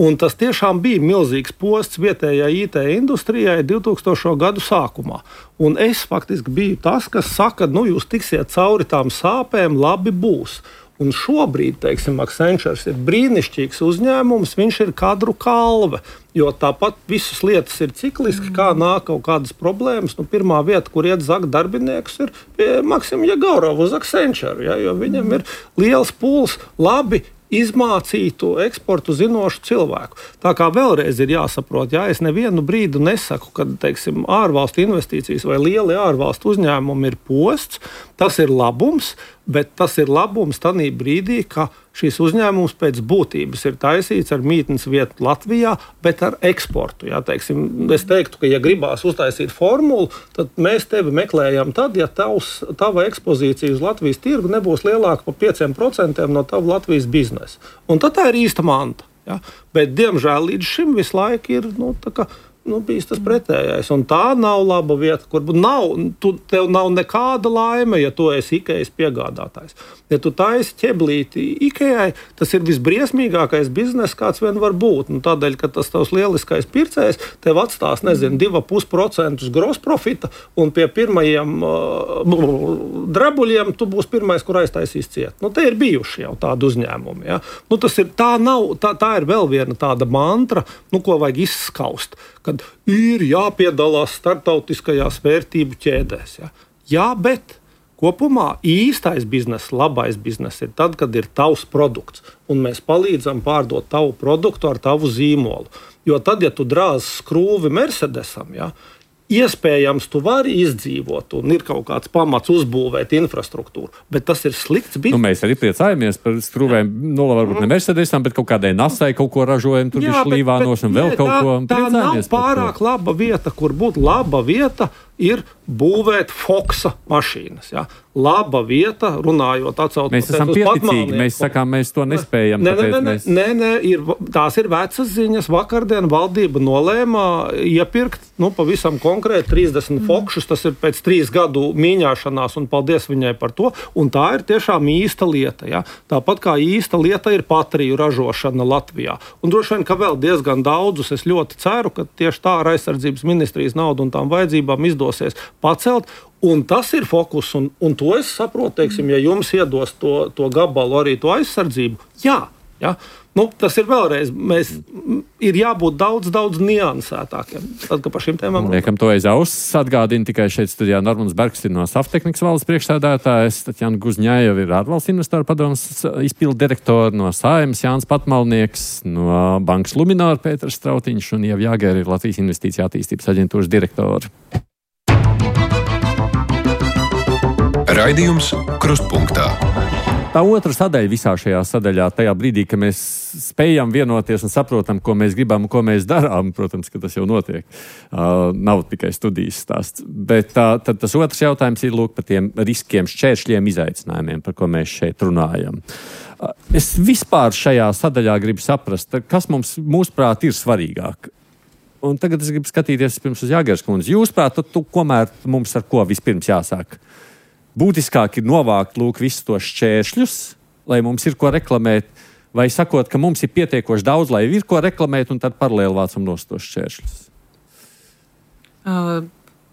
Speaker 6: Un tas tiešām bija milzīgs posts vietējai IT industrijai 2000. Gadu sākumā. Un es faktiski biju tas, kas saka, jūs tiksiet cauri tām sāpēm, labi būs. Un šobrīd, teiksim, Accenture ir brīnišķīgs uzņēmums, viņš ir kadru kalve, jo tāpat visas lietas ir cikliski, kā nāk kaut kādas problēmas. Pirmā vieta, kur iet zakt darbinieks, ir pie Maksima Jegorova uz Accenture, ja, jo viņam ir liels pūls, labi izmācītu eksportu zinošu cilvēku. Tā kā vēlreiz ir jāsaprot, ja es nevienu brīdi nesaku, kad, teiksim, ārvalstu investīcijas vai lieli ārvalstu uzņēmumi ir posts, tas ir labums, bet tas ir labums tanī brīdī, ka šīs uzņēmums pēc būtības ir taisīts ar mītnes vietu Latvijā, bet ar eksportu. Ja, teiksim, es teiktu, ka, ja gribās uztaisīt formulu, tad mēs tevi meklējam tad, ja tava ekspozīcija uz Latvijas tirgu nebūs lielāka par 5% no tava Latvijas biznesa. Un tad tā ir īsta manta. Ja? Bet, diemžēl, līdz šim visu laiku ir bijis tas pretējais. Un tā nav laba vieta, kur tev nav nekāda laime, ja tu esi Ikejas piegādātājs. Ja tu taisi ķeblīti Ikejai, tas ir visbriesmīgākais bizness, kāds vien var būt. Tādēļ, ka tas tavs lieliskais pircējs tev atstās, 2,5% gross profita, un pie pirmajiem drabuļiem tu būsi pirmais, kur aiztaisīs ciet. Te ir bijuši jau tādi uzņēmumi. Ja? Tā ir vēl viena tāda mantra, ko vajag izskaust, kad ir jāpiedalās starptautiskajās vērtību ķēdēs. Ja? Jā, bet kopumā īstais bizness, labais bizness ir tad, kad ir tavs produkts, un mēs palīdzam pārdot tavu produktu ar tavu zīmolu. Jo tad, ja tu drāzi skrūvi Mercedesam, ja, iespējams, tu vari izdzīvot, un ir kaut kāds pamats uzbūvēt infrastruktūru, bet tas ir slikts bizness.
Speaker 2: Mēs arī priecājamies par skrūvēm, varbūt ne Mercedesam, bet kaut kādai Nasai kaut ko ražojam, tur ir Līvānos un vēl kaut ko.
Speaker 6: Tā nav pārāk laba vieta, kur būtu laba vieta, ir būvēt Foksa mašīnas. Ja? Laba vieta, runājot, atcaucoties
Speaker 2: mēs esam pieticīgi, mēs sakām, mēs to nespējam.
Speaker 6: Tās ir vecas ziņas. Vakardien valdība nolēma iepirkt pavisam konkrēti 30 Fokšus. Tas ir pēc 3 gadu mīņāšanās, un paldies viņai par to. Un tā ir tiešām īsta lieta. Ja? Tāpat kā īsta lieta ir patriju ražošana Latvijā. Un droši vien, ka vēl diezgan daudzus es ļoti ceru, ka tieši tā ar aizsardzības ministrijas naudu un tām vajadzībām izdosies pacelt. Un tas ir fokus, un to es saprotu, teiksim, ja jums iedos to gabalu arī to aizsardzību. Jā. Tas ir vēlreiz, ir jābūt daudz niansētākiem. Tad, ka par šīm tēmām
Speaker 2: liekam to aiz auss, atgādina tikai šeit studijā Normans Bergs ir no Saftehnikas valdes priekšsēdētājs, Tatjana Guzņājeva ir ārvalstu investoru padomes izpildu direktori, no Saeimas Jānis Patmalnieks, no Bankas Luminor Pēters Strautiņš un Ieva Jāgēra ir Latvijas Investīcija attīstības aģentūras direktori.
Speaker 1: Raidījums Krustpunktā.
Speaker 2: Tā otra sadaļa visā šajā sadaļā, tajā brīdī, ka mēs spējam vienoties un saprotam, ko mēs gribam un ko mēs darām, protams, ka tas jau notiek. Nav tikai studijas stāsts. Bet tad tas otrs jautājums ir par tiem riskiem, šķēršļiem, izaicinājumiem, par ko mēs šeit runājam. Es vispār šajā sadaļā gribu saprast, kas mums, mūsuprāt, ir svarīgāk. Un tagad es gribu skatīties pirms uz Jāgers kundzi. Jūsuprāt, komēr mums ar ko vispirms jāsāk? Būtiskāk ir novākt visus tos šķēršļus, lai mums ir ko reklamēt, vai sakot, ka mums ir pietiekoši daudz, lai ir ko reklamēt, un tad paralēli vācam nost tos šķēršļus?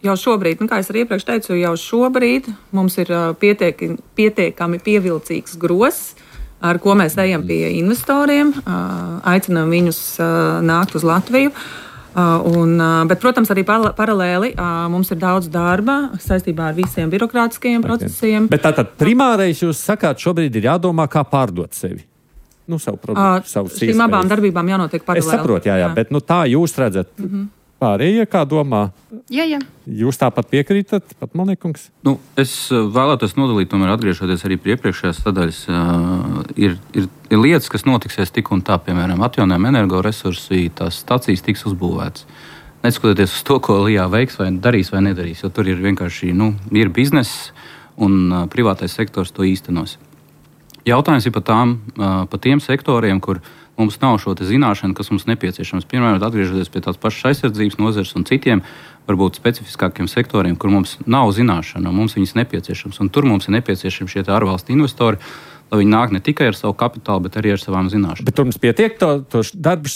Speaker 7: Jau šobrīd, kā es arī iepriekš teicu, jau šobrīd mums ir pietiekami pievilcīgs gross, ar ko mēs ejam pie investoriem, aicinām viņus nākt uz Latviju. Bet, protams, arī paralēli mums ir daudz darba saistībā ar visiem birokrātiskajiem procesiem.
Speaker 2: Bet tātad primārais jūs sakāt, šobrīd ir jādomā, kā pārdot sevi. Savu produktu, savus iespējas.
Speaker 7: Šīm abām darbībām jānotiek paralēli.
Speaker 2: Es saprotu, jā. Bet tā jūs redzat. Pārējie, kā domā?
Speaker 3: Jā.
Speaker 2: Jūs tāpat piekrītat, Patmalniekungs?
Speaker 4: Es vēlētos nodalīt, tomēr atgriežoties arī pie iepriekšējās sadaļas. Ir lietas, kas notiksies tik un tā, piemēram, atjaunojami energoresursi, tās stacijas tiks uzbūvētas. Neskatoties uz to, ko Lijā veiks vai darīs vai nedarīs, jo tur ir vienkārši ir bizness un privātais sektors to īstenos. Jautājums ir par tiem sektoriem, kur mums nav šo zināšanu, kas mums nepieciešams. Piemēram, atgriežoties pie tās pašas aizsardzības nozares un citiem, varbūt specifiskākiem sektoriem, kur mums nav zināšana, un mums viņas nepieciešams. Un tur mums ir nepieciešami šie ārvalstu investori, lai viņi nāk ne tikai ar savu kapitālu, bet arī ar savām zināšanām.
Speaker 2: Bet tur mums pietiek to darbu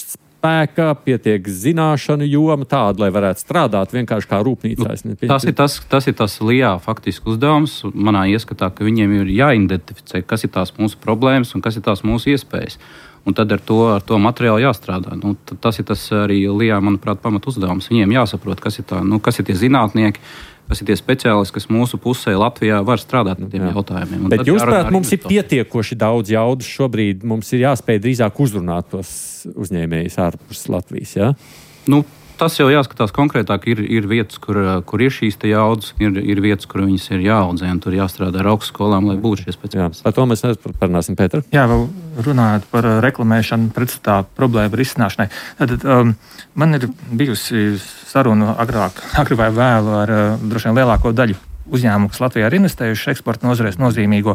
Speaker 2: spēka, pietiek zināšanu joma tāda, lai varētu strādāt vienkārši kā rūpnīcā.
Speaker 4: Tas ir tas LIA faktiski uzdevums. Manā ieskatā, ka viņiem ir jāidentificē, kas ir tās mūsu problēmas un kas ir tās mūsu iespējas. Un tad ar to materiālu jāstrādā. Tas ir tas arī LIA, manuprāt, pamat uzdevums. Viņiem jāsaprot, kas ir tie zinātnieki, kas ir tie speciālisti, kas mūsu pusē Latvijā var strādāt ar tiem jautājumiem.
Speaker 2: Bet jūs prāt, mums ir pietiekoši daudz jaudas šobrīd, mums ir jāspēj drīzāk uzrunāt tos uzņēmējus ārpus Latvijas, jā?
Speaker 4: Tas jau jāskatās konkrētāk. Ir vietas, kur ir šīs jaudas, ir vietas, kur viņas ir jāaudzē, un tur jāstrādā ar augstskolām, lai būtu šie speciālisti.
Speaker 2: Par to mēs parunāsim, Pēter.
Speaker 5: Jā, vēl runājot par reklamēšanu pretstatā problēmu risināšanai. Tad man ir bijusi saruna agri vai vēlu ar droši vien lielāko daļu uzņēmumu, kas Latvijā ir investējuši eksporta nozarēs nozīmīgo,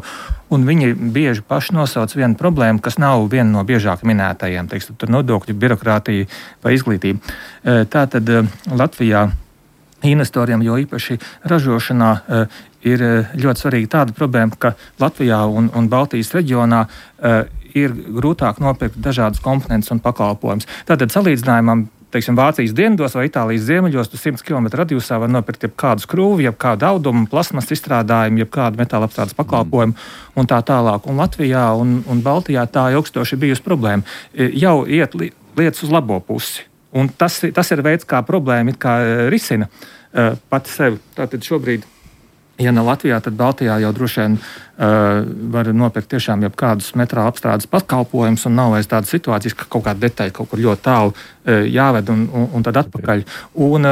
Speaker 5: un viņi bieži paši nosauc vienu problēmu, kas nav viena no biežāk minētajiem, teiksim, tur nodokļu, birokrātija vai izglītība. Tātad Latvijā investoriem, jo īpaši ražošanā, ir ļoti svarīga tāda problēma, ka Latvijā un Baltijas reģionā ir grūtāk nopirkt dažādas komponentes un pakalpojumus. Tātad salīdzinājumam, teiksim, Vācijas dienvidos vai Itālijas ziemeļos, tu 100 km radiusā var nopirkt jebkādu skrūvi, jebkādu audumu, plasmas izstrādājumu, jebkādu metāla apstrādes pakalpojumu un tā tālāk. Un Latvijā un Baltijā tā ilgstoši bijusi problēma. Jau iet lietas uz labo pusi. Un tas ir veids, kā problēma it kā risina pati sevi. Tātad šobrīd, ja ne Latvijā, tad Baltijā jau droši vien var nopirkt tiešām jebkādus metāla apstrādes pakalpojumus, un nav vairs tādas situācijas, ka kaut kāda detaļa kaut kur ļoti tālu jāved un tad atpakaļ. Un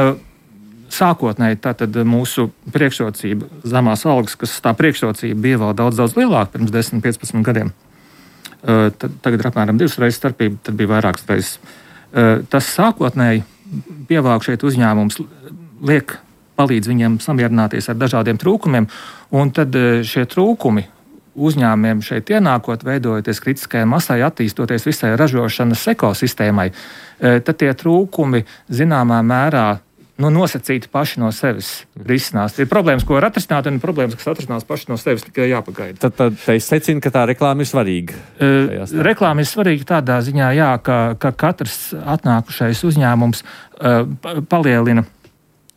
Speaker 5: sākotnēji tātad mūsu priekšrocība, zemās algas, kas tā priekšrocība bija vēl daudz lielāka pirms 10-15 gadiem. Tagad ir apmēram 2 reizes starpība, tad bija vairākas reizes. Tas sākotnēji pievāk šeit uzņēmums palīdz viņiem samierināties ar dažādiem trūkumiem, un tad šie trūkumi uzņēmumiem šeit ienākot, veidojoties kritiskajai masai, attīstoties visai ražošanas ekosistēmai, tad tie trūkumi zināmā mērā nosacīti paši no sevis risinās. Ir problēmas, ko var atrisināt, un problēmas, kas atrisinās paši no sevis, tikai jāpagaida.
Speaker 2: Tad es secinu, ka tā reklāma ir svarīga.
Speaker 5: Reklāma ir svarīga tādā ziņā, jā, ka katrs atnākušais uzņēmums palielina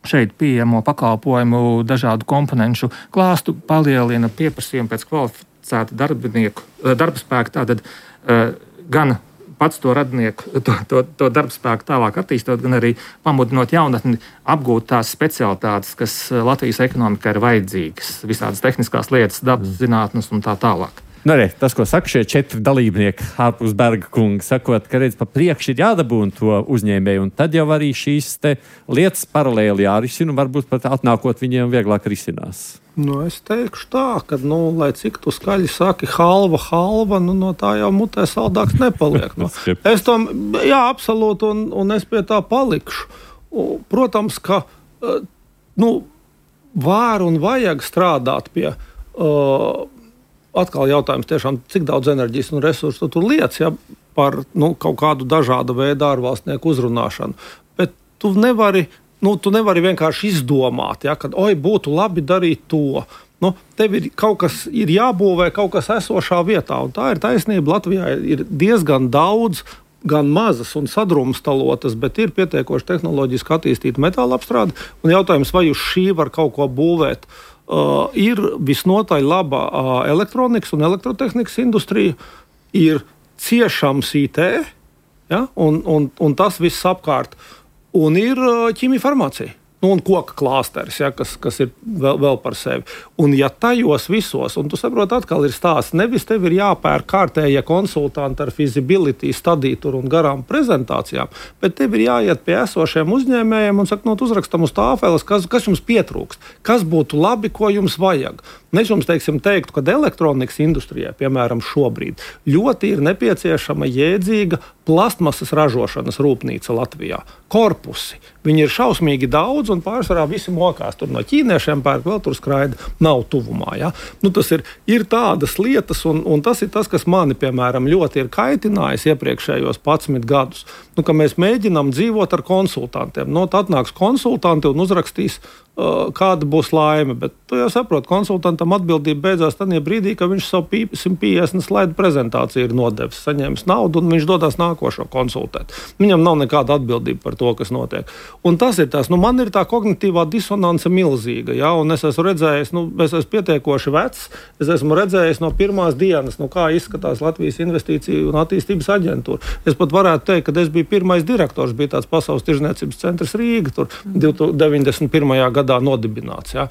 Speaker 5: šeit pieejamo pakalpojumu dažādu komponenšu klāstu, palielina pieprasījumu pēc kvalificēta darba spēka, tātad gan pats to radinieku, to darba spēku tālāk attīstot, gan arī pamudinot jaunatni apgūt tās specialitātes, kas Latvijas ekonomikā ir vajadzīgas, visādas tehniskās lietas, dabas zinātnes un tā tālāk.
Speaker 2: Tas, ko saka šie 4 dalībnieki ārpus Berga kunga, sakot, ka redz pa priekšu ir jādabūna to uzņēmēju, un tad jau arī šīs lietas paralēli jārisina, un varbūt pat atnākot viņiem vieglāk risinās.
Speaker 6: Es teikšu tā, ka, lai cik tu skaļi saki halva, no tā jau mutē saldāks nepaliek. Es to, absolūti, un es pie tā palikšu. Protams, ka, var un vajag strādāt pie atkal jautājums tiešām, cik daudz enerģijas un resursu tu liec par kaut kādu dažādu veidu ārvalstnieku uzrunāšanu. Bet tu nevari vienkārši izdomāt, kad būtu labi darīt to. Tev ir kaut kas ir jābūvē, kaut kas esošā vietā. Un tā ir taisnība. Latvijā ir diezgan daudz, gan mazas un sadrumstalotas, bet ir pietiekoši tehnoloģiski attīstīta metāla apstrāde. Un jautājums, vai uz šī var kaut ko būvēt? Ir visnotaļ laba elektronikas un elektrotehnikas industrija, ir ciešams IT, un tas viss apkārt, un ir ķīmija farmācija. Un koka klāsteris, kas ir vēl par sevi. Un ja tajos visos, un tu saproti, atkal ir stāsts, nevis tev ir jāpērk kārtējie konsultanti ar feasibility stadiju un garām prezentācijām, bet tev ir jāiet pie esošiem uzņēmējiem un saka, uzrakstam uz tāfeles, kas jums pietrūkst, kas būtu labi, ko jums vajag. Es jums teiktu, ka elektronikas industrijai, piemēram, šobrīd ļoti ir nepieciešama jēdzīga plastmasas ražošanas rūpnīca Latvijā. Korpusi. Viņi ir šausmīgi daudz, un pārsvarā visi mokās. Tur no ķīniešiem pērk, vēl tur skraida, nav tuvumā. Ja? Tas ir tādas lietas, un tas ir tas, kas mani, piemēram, ļoti ir kaitinājis iepriekšējos 11 gadus. Ka mēs mēģinām dzīvot ar konsultantiem. Tad nāks konsultanti un uzrakstīs kāda būs laime. Bet tu jau saproti, konsultantam atbildība beidzās tajā brīdī, ka viņš savu 150 slaidu prezentāciju ir nodevis, saņēmis naudu un viņš dodas nākošo konsultēt. Viņam nav nekāda atbildība par to, kas notiek. Un tas ir tas, man ir tā kognitīvā disonance milzīga, ja, un es esmu redzējis, es esmu pietiekoši vecs, es esmu redzējis no pirmās dienas, kā izskatās Latvijas investīciju un attīstības aģentūra. Es pat varētu teikt, ka es biju pirmais direktors, bija tāds Pasaules tirzniecības centrs Rīga, tur 91. gadā nodibināts. Ja?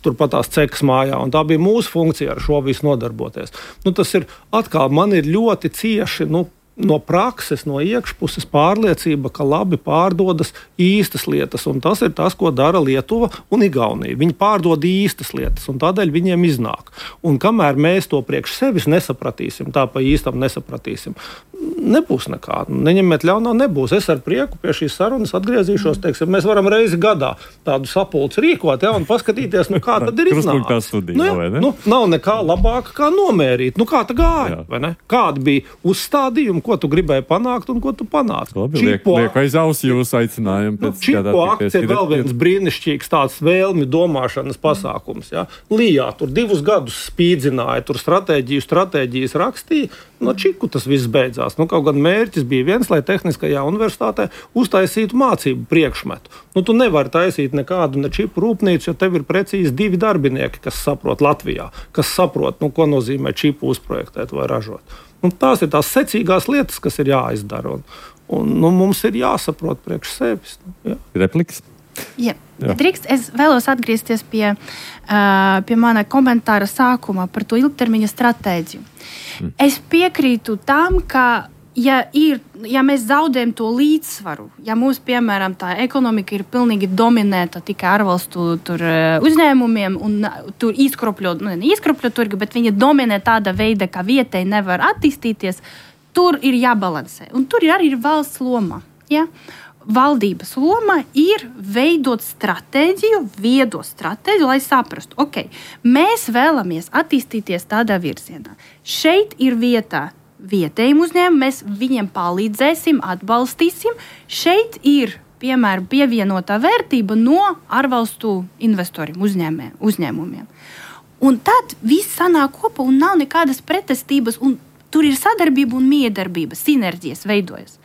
Speaker 6: Turpat tās cekas mājā, un tā bija mūsu funkcija ar šo visu nodarboties. Tas ir atkal, man ir ļoti cieši, no prakses, no iekšpuses pārliecība, ka labi pārdodas īstas lietas, un tas ir tas, ko dara Lietuva un Igaunija. Viņi pārdod īstas lietas, un tādēļ viņiem iznāk. Un kamēr mēs to priekš sevis nesapratīsim, tā pa īstam nesapratīsim, nebūs nekā. Neņemiet ļaunā, nebūs. Es ar prieku pie šīs sarunas atgriezīšos, teiksim, mēs varam reizi gadā tādu sapulci rīkot, ja, un paskatīties, kā tad ir iznācis. Nav nekā labāka, kā nomērīt. Kā tā gāja, vai ne? Kāda bija uzstādījuma, ko tu gribēji panākt un ko tu panāci.
Speaker 2: Liek aiz ausi jūsu aicinājumu.
Speaker 6: Čipo akcija ir vēl viens brīnišķīgs tāds vēlmi domāšanas pasākums. Ja? Lijā tur 2 gadus spīdzināja, tur stratēģijas rakstīja, no čiku tas viss beidzās. Kaut gan mērķis bija viens, lai Tehniskajā universitātē uztaisītu mācību priekšmetu. Tu nevari taisīt nekādu ne čipu rūpnīcu, jo tev ir precīzi 2 darbinieki, kas saprot Latvijā, kas saprot, ko nozīmē čipu uzprojektēt vai ražot. Tās ir tās secīgās lietas, kas ir jāizdara. Un mums ir jāsaprot priekš sevis.
Speaker 2: Repliks?
Speaker 3: Jā. Drīkst, es vēlos atgriezties pie mana komentāra sākuma par to ilgtermiņa stratēģiju. Es piekrītu tam, ka ja mēs zaudējam to līdzsvaru, ja mums, piemēram, tā ekonomika ir pilnīgi dominēta tikai ārvalstu uzņēmumiem un tur izkropļo turgi, bet viņi dominē tāda veida, ka vietēji nevar attīstīties, tur ir jābalansē. Un tur arī ir valsts loma. Ja? Valdības loma ir veidot stratēģiju, viedo stratēģiju, lai saprastu, mēs vēlamies attīstīties tādā virzienā. Šeit ir vieta vietējiem uzņēmumiem, mēs viņiem palīdzēsim, atbalstīsim. Šeit ir, piemēram, pievienotā vērtība no ārvalstu investoriem, uzņēmumiem. Un tad viss sanāk kopā un nav nekādas pretestības, un tur ir sadarbība un miedarbība, sinerģijas veidojas.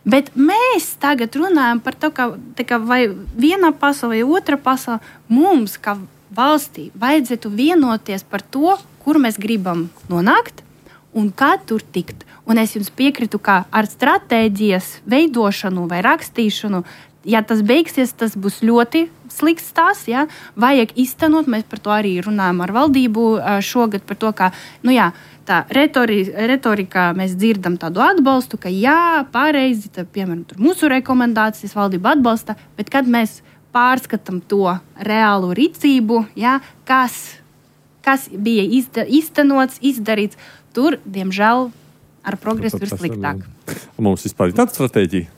Speaker 3: Bet mēs tagad runājam par to, ka vai viena pasaule vai otra pasaule, mums, kā valstī, vajadzētu vienoties par to, kur mēs gribam nonākt, un kā tur tikt. Un es jums piekrītu, ka ar stratēģijas veidošanu vai rakstīšanu, ja tas beigsies, tas būs ļoti slikts stāsts. Ja? Vajag iztenot, mēs par to arī runājam ar valdību šogad, par to, ka, tā retorikā mēs dzirdam tādu atbalstu, ka jā, pareizi, piemēram, mūsu rekomendācijas valdība atbalsta, bet kad mēs pārskatām to reālu rīcību, ja, kas bija iztenots, izdarīts, tur, diemžēl, ar progresu ir sliktāk.
Speaker 2: Mums vispār ir tāda stratēģija?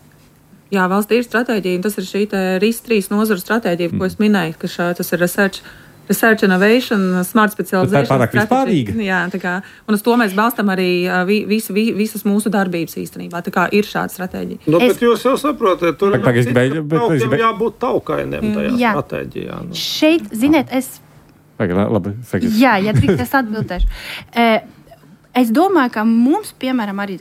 Speaker 7: Jā, valstī ir stratēģija, un tas ir šī RIS3 nozaru stratēģija, ko es minēju, ka tas ir Research Innovation, Smart Specialization.
Speaker 2: Tā ir pārāk vispārīga.
Speaker 7: Jā, un uz to mēs balstam arī visas mūsu darbības īstenībā. Tā kā ir šāda stratēģija.
Speaker 6: Bet jūs jau saprotat, tur ir jābūt taukainiem tajā stratēģijā.
Speaker 3: Šeit, ziniet, ja drīkst, es atbildēšu. Es domāju, ka mums, piemēram, arī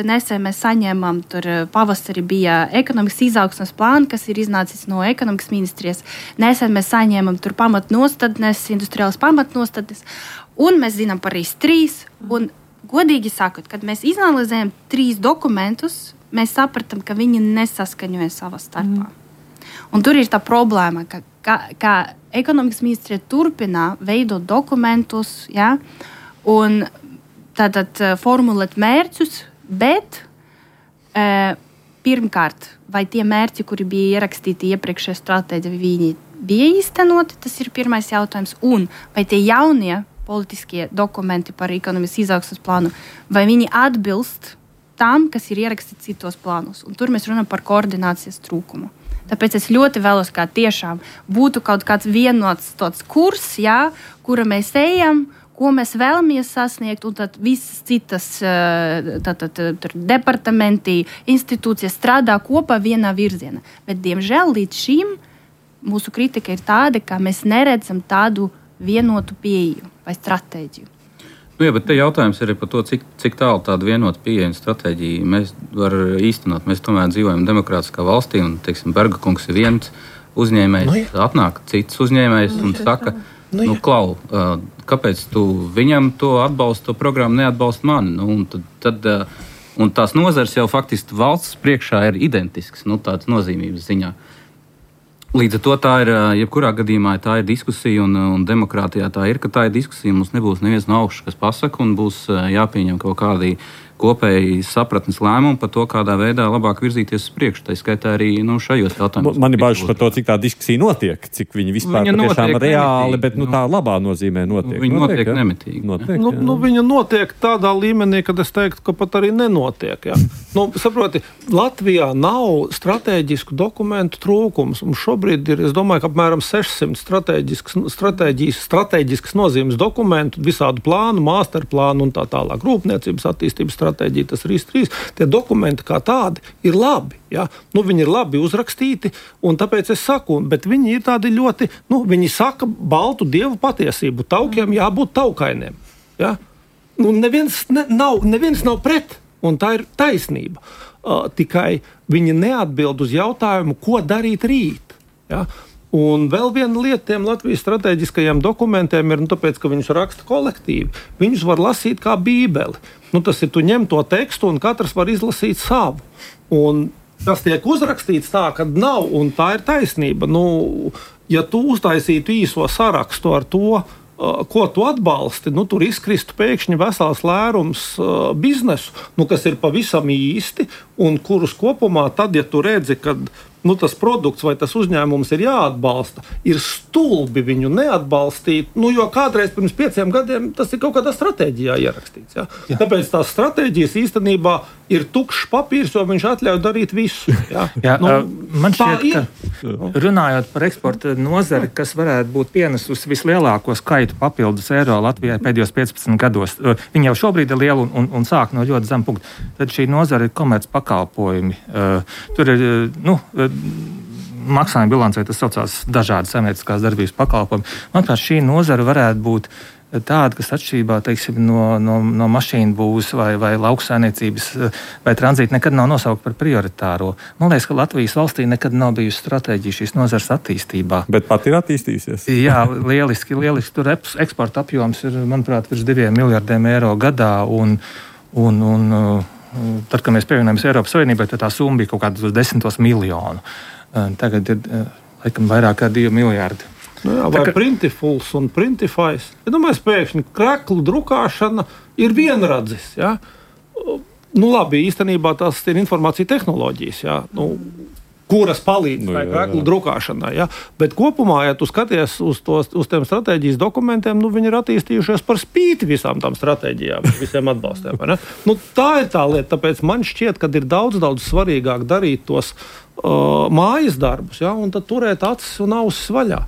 Speaker 3: nesen mēs saņēmām, tur pavasarī bija ekonomikas izaugsmes plāna, kas ir iznācis no ekonomikas ministrijas. Nesen mēs saņēmām tur pamatnostādnes, industriālas pamatnostādnes, un mēs zinām par RIS3. Un, godīgi sakot, kad mēs izanalizējam 3 dokumentus, mēs sapratām, ka viņi nesaskaņoja savā starpā. Un tur ir tā problēma, ka ekonomikas ministrija turpina veidot dokumentus, ja, un tātad formulēt mērķus, bet pirmkārt, vai tie mērķi, kuri bija ierakstīti iepriekšējā stratēģijā, viņi bija īstenoti, tas ir pirmais jautājums, un vai tie jaunie politiskie dokumenti par ekonomikas izaugsmes plānu, vai viņi atbilst tam, kas ir ierakstīts citos plānos. Un tur mēs runājam par koordinācijas trūkumu. Tāpēc es ļoti vēlos, kā tiešām būtu kaut kāds vienots tāds kurs, ja, kura mēs ejam, ko mēs vēlamies sasniegt, un tad visas citas departamenti, institūcijas strādā kopā vienā virzienā. Bet, diemžēl, līdz šim mūsu kritika ir tāda, ka mēs neredzam tādu vienotu pieeju vai stratēģiju.
Speaker 4: Nu, jā, bet te jautājums ir par to, cik tālu tāda vienota pieeja un stratēģija mēs varam īstenot. Mēs tomēr dzīvojam demokrātiskā valstī, un, teiksim, Berga kungs ir viens uzņēmējs, atnāk cits uzņēmējs un saka, Klau, kāpēc tu viņam to atbalstu, to programmu neatbalsti mani? Un tās nozars jau faktiski valsts priekšā ir identisks, tāds nozīmības ziņā. Līdz ar to tā ir, jebkurā gadījumā tā ir diskusija, un demokrātijā tā ir, ka tā ir diskusija. Mums nebūs neviens no augšas, kas pasaka, un būs jāpieņem kaut kādi kopēji sapratnes lēmumu par to, kādā veidā labāk virzīties uz priekšu. Tā skaitā arī šajos jautājumos.
Speaker 2: Man ir bažas par to, cik tā diskusija notiek, cik viņi vispār patiešām reāli, bet tā labā nozīmē notiek.
Speaker 4: Viņa notiek nemitīgi.
Speaker 6: Viņa notiek tādā līmenī, kad es teiktu, ka pat arī nenotiek. Ja? Saproti, Latvijā nav strateģisku dokumentu trūkums. Un šobrīd ir, es domāju, ka apmēram 600 strateģiskas nozīmes dokumentu, visādu plānu, masterplānu un tā tālāk. Rūpniecības attīstības stratēģija, tas ir 3. Tie dokumenti kā tādi ir labi. Ja? Viņi ir labi uzrakstīti, un tāpēc es saku, bet viņi ir tādi ļoti, viņi saka baltu dievu patiesību. Taukiem jābūt taukainiem. Ja? Neviens nav pret, un tā ir taisnība. Tikai viņi neatbild uz jautājumu, ko darīt rīt. Ja? Un vēl viena lieta tiem Latvijas strateģiskajiem dokumentiem ir, tāpēc, ka viņus raksta kolektīvi. Viņus var lasīt kā bībeli. Tas ir, tu ņem to tekstu un katrs var izlasīt savu. Un tas tiek uzrakstīts tā, ka nav, un tā ir taisnība. Ja tu uztaisītu īso sarakstu ar to, ko tu atbalsti, tur izkristu pēkšņi vesels lērums biznesu, kas ir pavisam īsti, un kurus kopumā tad, ja tu redzi, ka tas produkts vai tas uzņēmums ir jāatbalsta, ir stulbi viņu neatbalstīt, jo kādreiz pirms 5 gadiem tas ir kaut kādā stratēģijā ierakstīts. Ja? Jā. Tāpēc tās stratēģijas īstenībā ir tukšs papīrs, jo viņš atļauj darīt visu. Ja?
Speaker 5: Jā, man šķiet, ka runājot par eksporta nozari, kas varētu būt pienesus vislielāko skaitu papildus eiro Latvijai pēdējos 15 gados, viņi jau šobrīd ir liela un sāk no ļoti zem punkta. Tad šī nozara ir komerc pakalpojumi. Tur ir, maksājuma bilancē tas saucās dažādi saimnieciskās darbības pakalpojumi. Manuprāt, šī nozara varētu būt tāda, kas atšķirībā, teiksim, no mašīnu būvs vai lauksaimniecības vai tranzīta nekad nav nosaukta par prioritāro. Man liekas, ka Latvijas valstī nekad nav bijusi stratēģija šīs nozares attīstībā.
Speaker 2: Bet pat ir attīstījusies.
Speaker 5: Jā, lieliski. Tur eksporta apjoms ir, manuprāt, virs 2 miljardiem eiro gadā, un tad, kad mēs pievienojamies Eiropas Savienībai, tad tā summa bija kaut kādos 10 miljonu. Tagad ir laikam vairāk kā 2 miljardi.
Speaker 6: Vai Printifuls un Printifais. Ja domāju, pēkšņi kreklu drukāšana ir vienradzis. Ja? Labi, īstenībā tas ir informācija tehnoloģijas. Ja? Kuras palīdz kreklu drukāšanai. Ja? Bet kopumā, ja tu skaties uz tiem stratēģijas dokumentiem, viņi ir attīstījušies par spīti visām tām stratēģijām, visiem atbalstiem. Tā ir tā lieta, tāpēc man šķiet, ka ir daudz svarīgāk darīt tos mājas darbus, ja? Un tad turēt acis un ausis vaļā.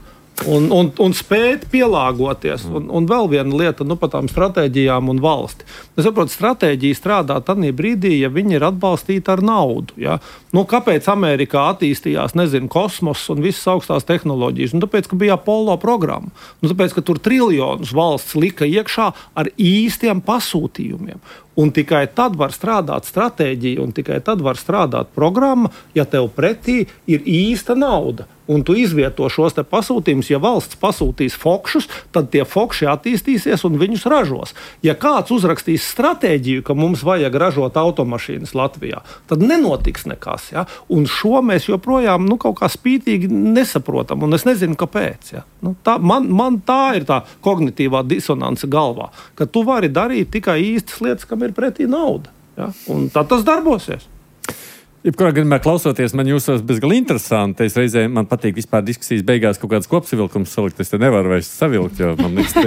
Speaker 6: Un spēt pielāgoties. Un vēl viena lieta par tām stratēģijām un valsti. Es saprotu, stratēģija strādā tādā brīdī, ja viņi ir atbalstīti ar naudu. Ja? Kāpēc Amerikā attīstījās, kosmos un visas augstās tehnoloģijas? Tāpēc, ka bija Apollo programma. Tāpēc, ka tur triljonus valsts lika iekšā ar īstiem pasūtījumiem. Un tikai tad var strādāt stratēģija, un tikai tad var strādāt programma, ja tev pretī ir īsta nauda. Un tu izvieto šos te pasūtījumus. Ja valsts pasūtīs fokšus, tad tie fokši attīstīsies un viņus ražos. Ja kāds uzrakstīs stratēģiju, ka mums vajag ražot automašīnas Latvijā, tad nenotiks nekas. Ja? Un šo mēs joprojām kaut kā spītīgi nesaprotam, un es nezinu, kāpēc. Ja? Man tā ir tā kognitīvā disonance galvā, ka tu vari darīt tikai īstas lietas, kam ir pretī nauda. Ja? Un tad tas darbosies.
Speaker 2: Jebkurā gadījumā klausoties, man jūsos bezgalīgi interesanti. Es reizē man patīk vispār diskusijas beigās kaut kādas kopsavilkums salikt. Es te nevaru vairs savilkt, jo man liekas,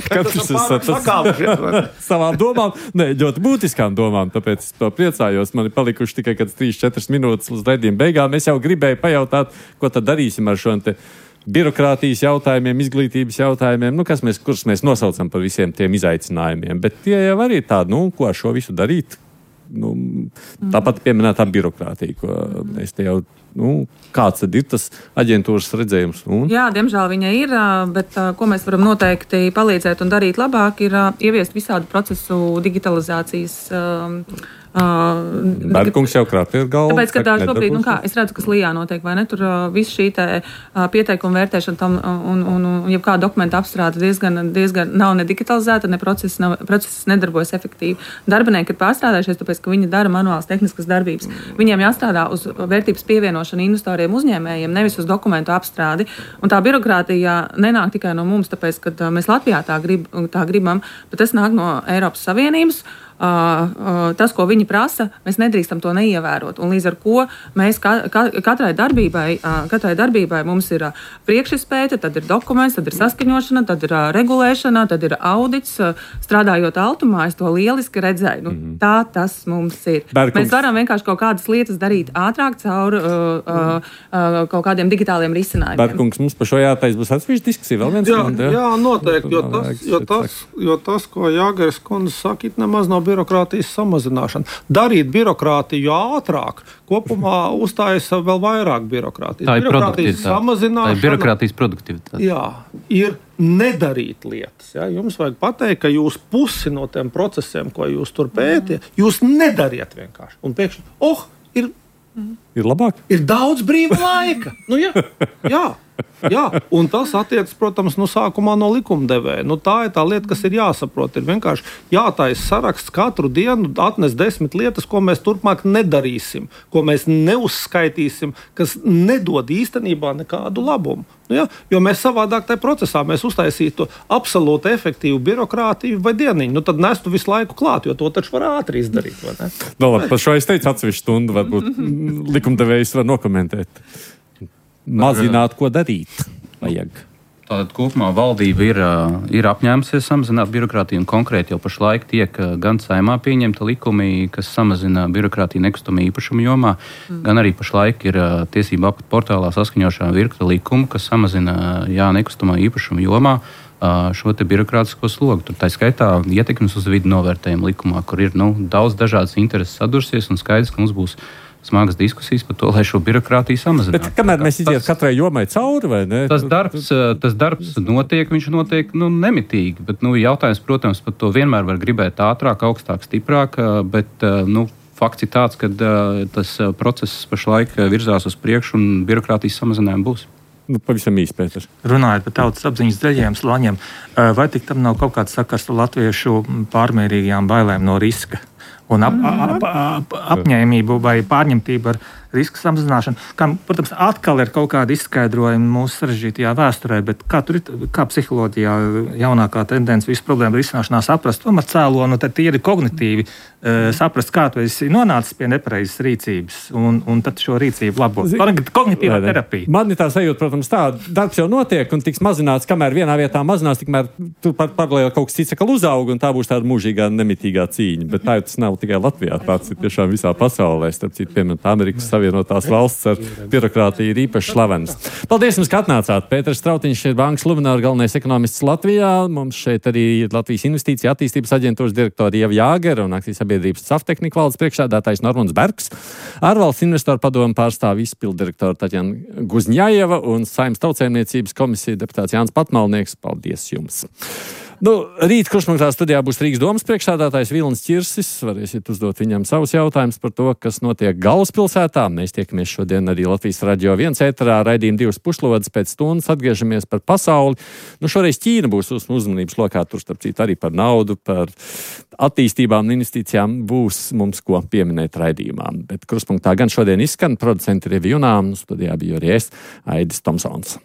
Speaker 2: ka katrs ir savām domām, ļoti būtiskām domām. Tāpēc es to priecājos. Man ir palikuši tikai 3-4 minūtes līdz raidījuma beigām. Es jau gribēju pajautāt, ko tad darīsim ar šo te birokrātijas jautājumiem, izglītības jautājumiem, kurus mēs nosaucam par visiem tiem izaicinājumiem. Bet tie jau arī tādi, ko ar šo visu darīt. tāpat pieminētā birokrātija, ko mēs te jau, kāds tad ir tas aģentūras redzējums?
Speaker 7: Jā, diemžēl viņa ir, bet ko mēs varam noteikti palīdzēt un darīt labāk, ir ieviest visādu procesu digitalizācijas.
Speaker 2: Bērkungs jau krāpja ar galvu.
Speaker 7: Tāpēc, ka šobrīd, es redzu, kas Lijā notiek, vai ne? Tur viss šī pieteikuma vērtēšana tam un jebkāda dokumenta apstrāde diezgan nav ne digitalizēta, ne process nedarbojas efektīvi. Darbinieki ir pārstrādājušies, tāpēc, ka viņi dara manuālas tehniskas darbības. Viņiem jāstrādā uz vērtības pievienošanu investoriem uzņēmējiem, nevis uz dokumentu apstrādi. Un tā birokrātija nenāk tikai no mums, tāpēc, ka mēs Latvijā tā gribam, bet tas nāk no Eiropas Savienības. Tas, ko viņi prasa, mēs nedrīkstam to neievērot. Un līdz ar ko mēs katrai darbībai mums ir priekšizpēte, tad ir dokuments, tad ir saskaņošana, tad ir regulēšana, tad ir audits. Strādājot Altumā, es to lieliski redzēju. Tā tas mums ir.
Speaker 2: Bērkungs.
Speaker 7: Mēs varam vienkārši kaut kādas lietas darīt ātrāk caur kaut kādiem digitāliem risinājumiem.
Speaker 2: Bērkungs, mums par šo jātais būs atsevišķa diskusija vēl viens.
Speaker 6: Jā, noteikti, jo tas, ko Jāgers kundze saka, nemaz nav birokrātijas samazināšana. Darīt birokrātiju ātrāk, kopumā uzstājas vēl vairāk birokrātijas.
Speaker 4: Tā ir
Speaker 6: birokrātijas samazināšana.
Speaker 4: Tā ir birokrātijas produktivitāte.
Speaker 6: Jā, ir nedarīt lietas. Ja? Jums vajag pateikt, ka jūs pusi no tiem procesiem, ko jūs tur pētiet, jūs nedariet vienkārši. Un pēkšņi,
Speaker 2: ir labāk.
Speaker 6: Ir daudz brīva laika. Jā, un tas attiecas, protams, sākumā no likumdevēja. Tā ir tā lieta, kas ir jāsaprot. Ir vienkārši jātaisa saraksts katru dienu, atnes 10 lietas, ko mēs turpmāk nedarīsim, ko mēs neuzskaitīsim, kas nedod īstenībā nekādu labumu. Jo mēs savādāk tajā procesā uztaisītu absolūti efektīvu birokrātiju vai dieniņu. Tad nestu visu laiku klāt, jo to taču var ātri izdarīt.
Speaker 2: Par šo es teicu atsevišķu stundu, varbūt likumdevējs var nokomentēt. Mazināt, ko darīt vajag.
Speaker 4: Tātad kopumā valdība ir apņēmusies samazināt birokrātiju, un konkrēti jau pašlaik tiek gan Saeimā pieņemta likumi, kas samazina birokrātiju nekustamā īpašuma jomā, gan arī pašlaik ir tiesību aktu portālā saskaņošana virkne likumu, kas samazina nekustamā īpašuma jomā šo te birokrātisko slogu. Tur tā skaitā ietekmes uz vidi novērtējumu likumā, kur ir daudz dažādas intereses sadursies, un skaidrs, ka mums būs smagas diskusijas par to, lai šo birokrātiju samazinātu.
Speaker 2: Bet kamēr mēs iziet katrai jomai cauri, vai ne?
Speaker 4: Tas darbs notiek, viņš notiek nemitīgi, bet jautājums, protams, par to vienmēr var gribēt ātrāk, augstāk, stiprāk, bet fakts ir tāds, ka tas process pašlaik virzās uz priekšu un birokrātijas samazinājumi būs.
Speaker 2: Pavisam īsti, Pēters.
Speaker 5: Runājot par tautas apziņas zaļajiem slāņiem, vai tik tam nav kaut kāds sakars ar latviešu pārmērīgajām bailēm no riska? Un apņēmību vai pārņemtību ar riska samazināšanu, kam, protams, atkal ir kaut kāda izskaidrojuma mūsu sarežģītajā vēsturē, bet kā psiholoģijā jaunākā tendence visu problēmu risināšanā saprast, tomēr cēloni, tad tīri kognitīvi saprast, kā tu esi nonācis pie nepareizas rīcības, un tad šo rīcību labot. Kognitīvā terapija.
Speaker 2: Man ir tā sajūta, protams, tā, darbs jau notiek un tiks mazināts, kamēr vienā vietā mazinās, tikmēr tu paralēli kaut kas cits atkal uzauga, un tā būs tāda mūžīgā, nemitīgā cīņa. Bet tā jau tas nav tikai Latvijā, tāds ir tiešām visā pasaulē. Starp citu, piemēram, Amerikas Savienotās valsts ar birokrātiju ir īpaši slavens. Paldies jums, ka atnācāt. Pēters Strautiņš ir Bankas Luminor galvenais ekonomists Latvijā. Mums šeit arī ir Latvijas Investīcija attīstības aģentūras direktori Ieva Jāgera un akcijas sabiedrības Saftehnika valdes priekšsēdētājs Normons Bergs. Ārvalsts investoru padomu pārstāv izpilddirektora Taķena Guzņājeva un Saeimas tautsēmniecības komisija deputāts Jānis Patmalnieks. Paldies jums! Rīt Kruspunktā studijā būs Rīgas domas priekšsēdētājs Vilnis Čirsis. Varēsiet uzdot viņam savus jautājumus par to, kas notiek galvaspilsētā. Mēs tiekamies šodien arī Latvijas Radio 1 ēterā, raidījuma 2 pušlodes pēc stundas atgriežamies par pasauli. Šoreiz Ķīna būs uzmanības lokā, tur starp citu arī par naudu, par attīstībām un investīcijām būs mums ko pieminēt raidījumā. Bet Kruspunktā gan šodien izskan producenti Revi Junām, studijā biju arī es, Aidis Tomsons.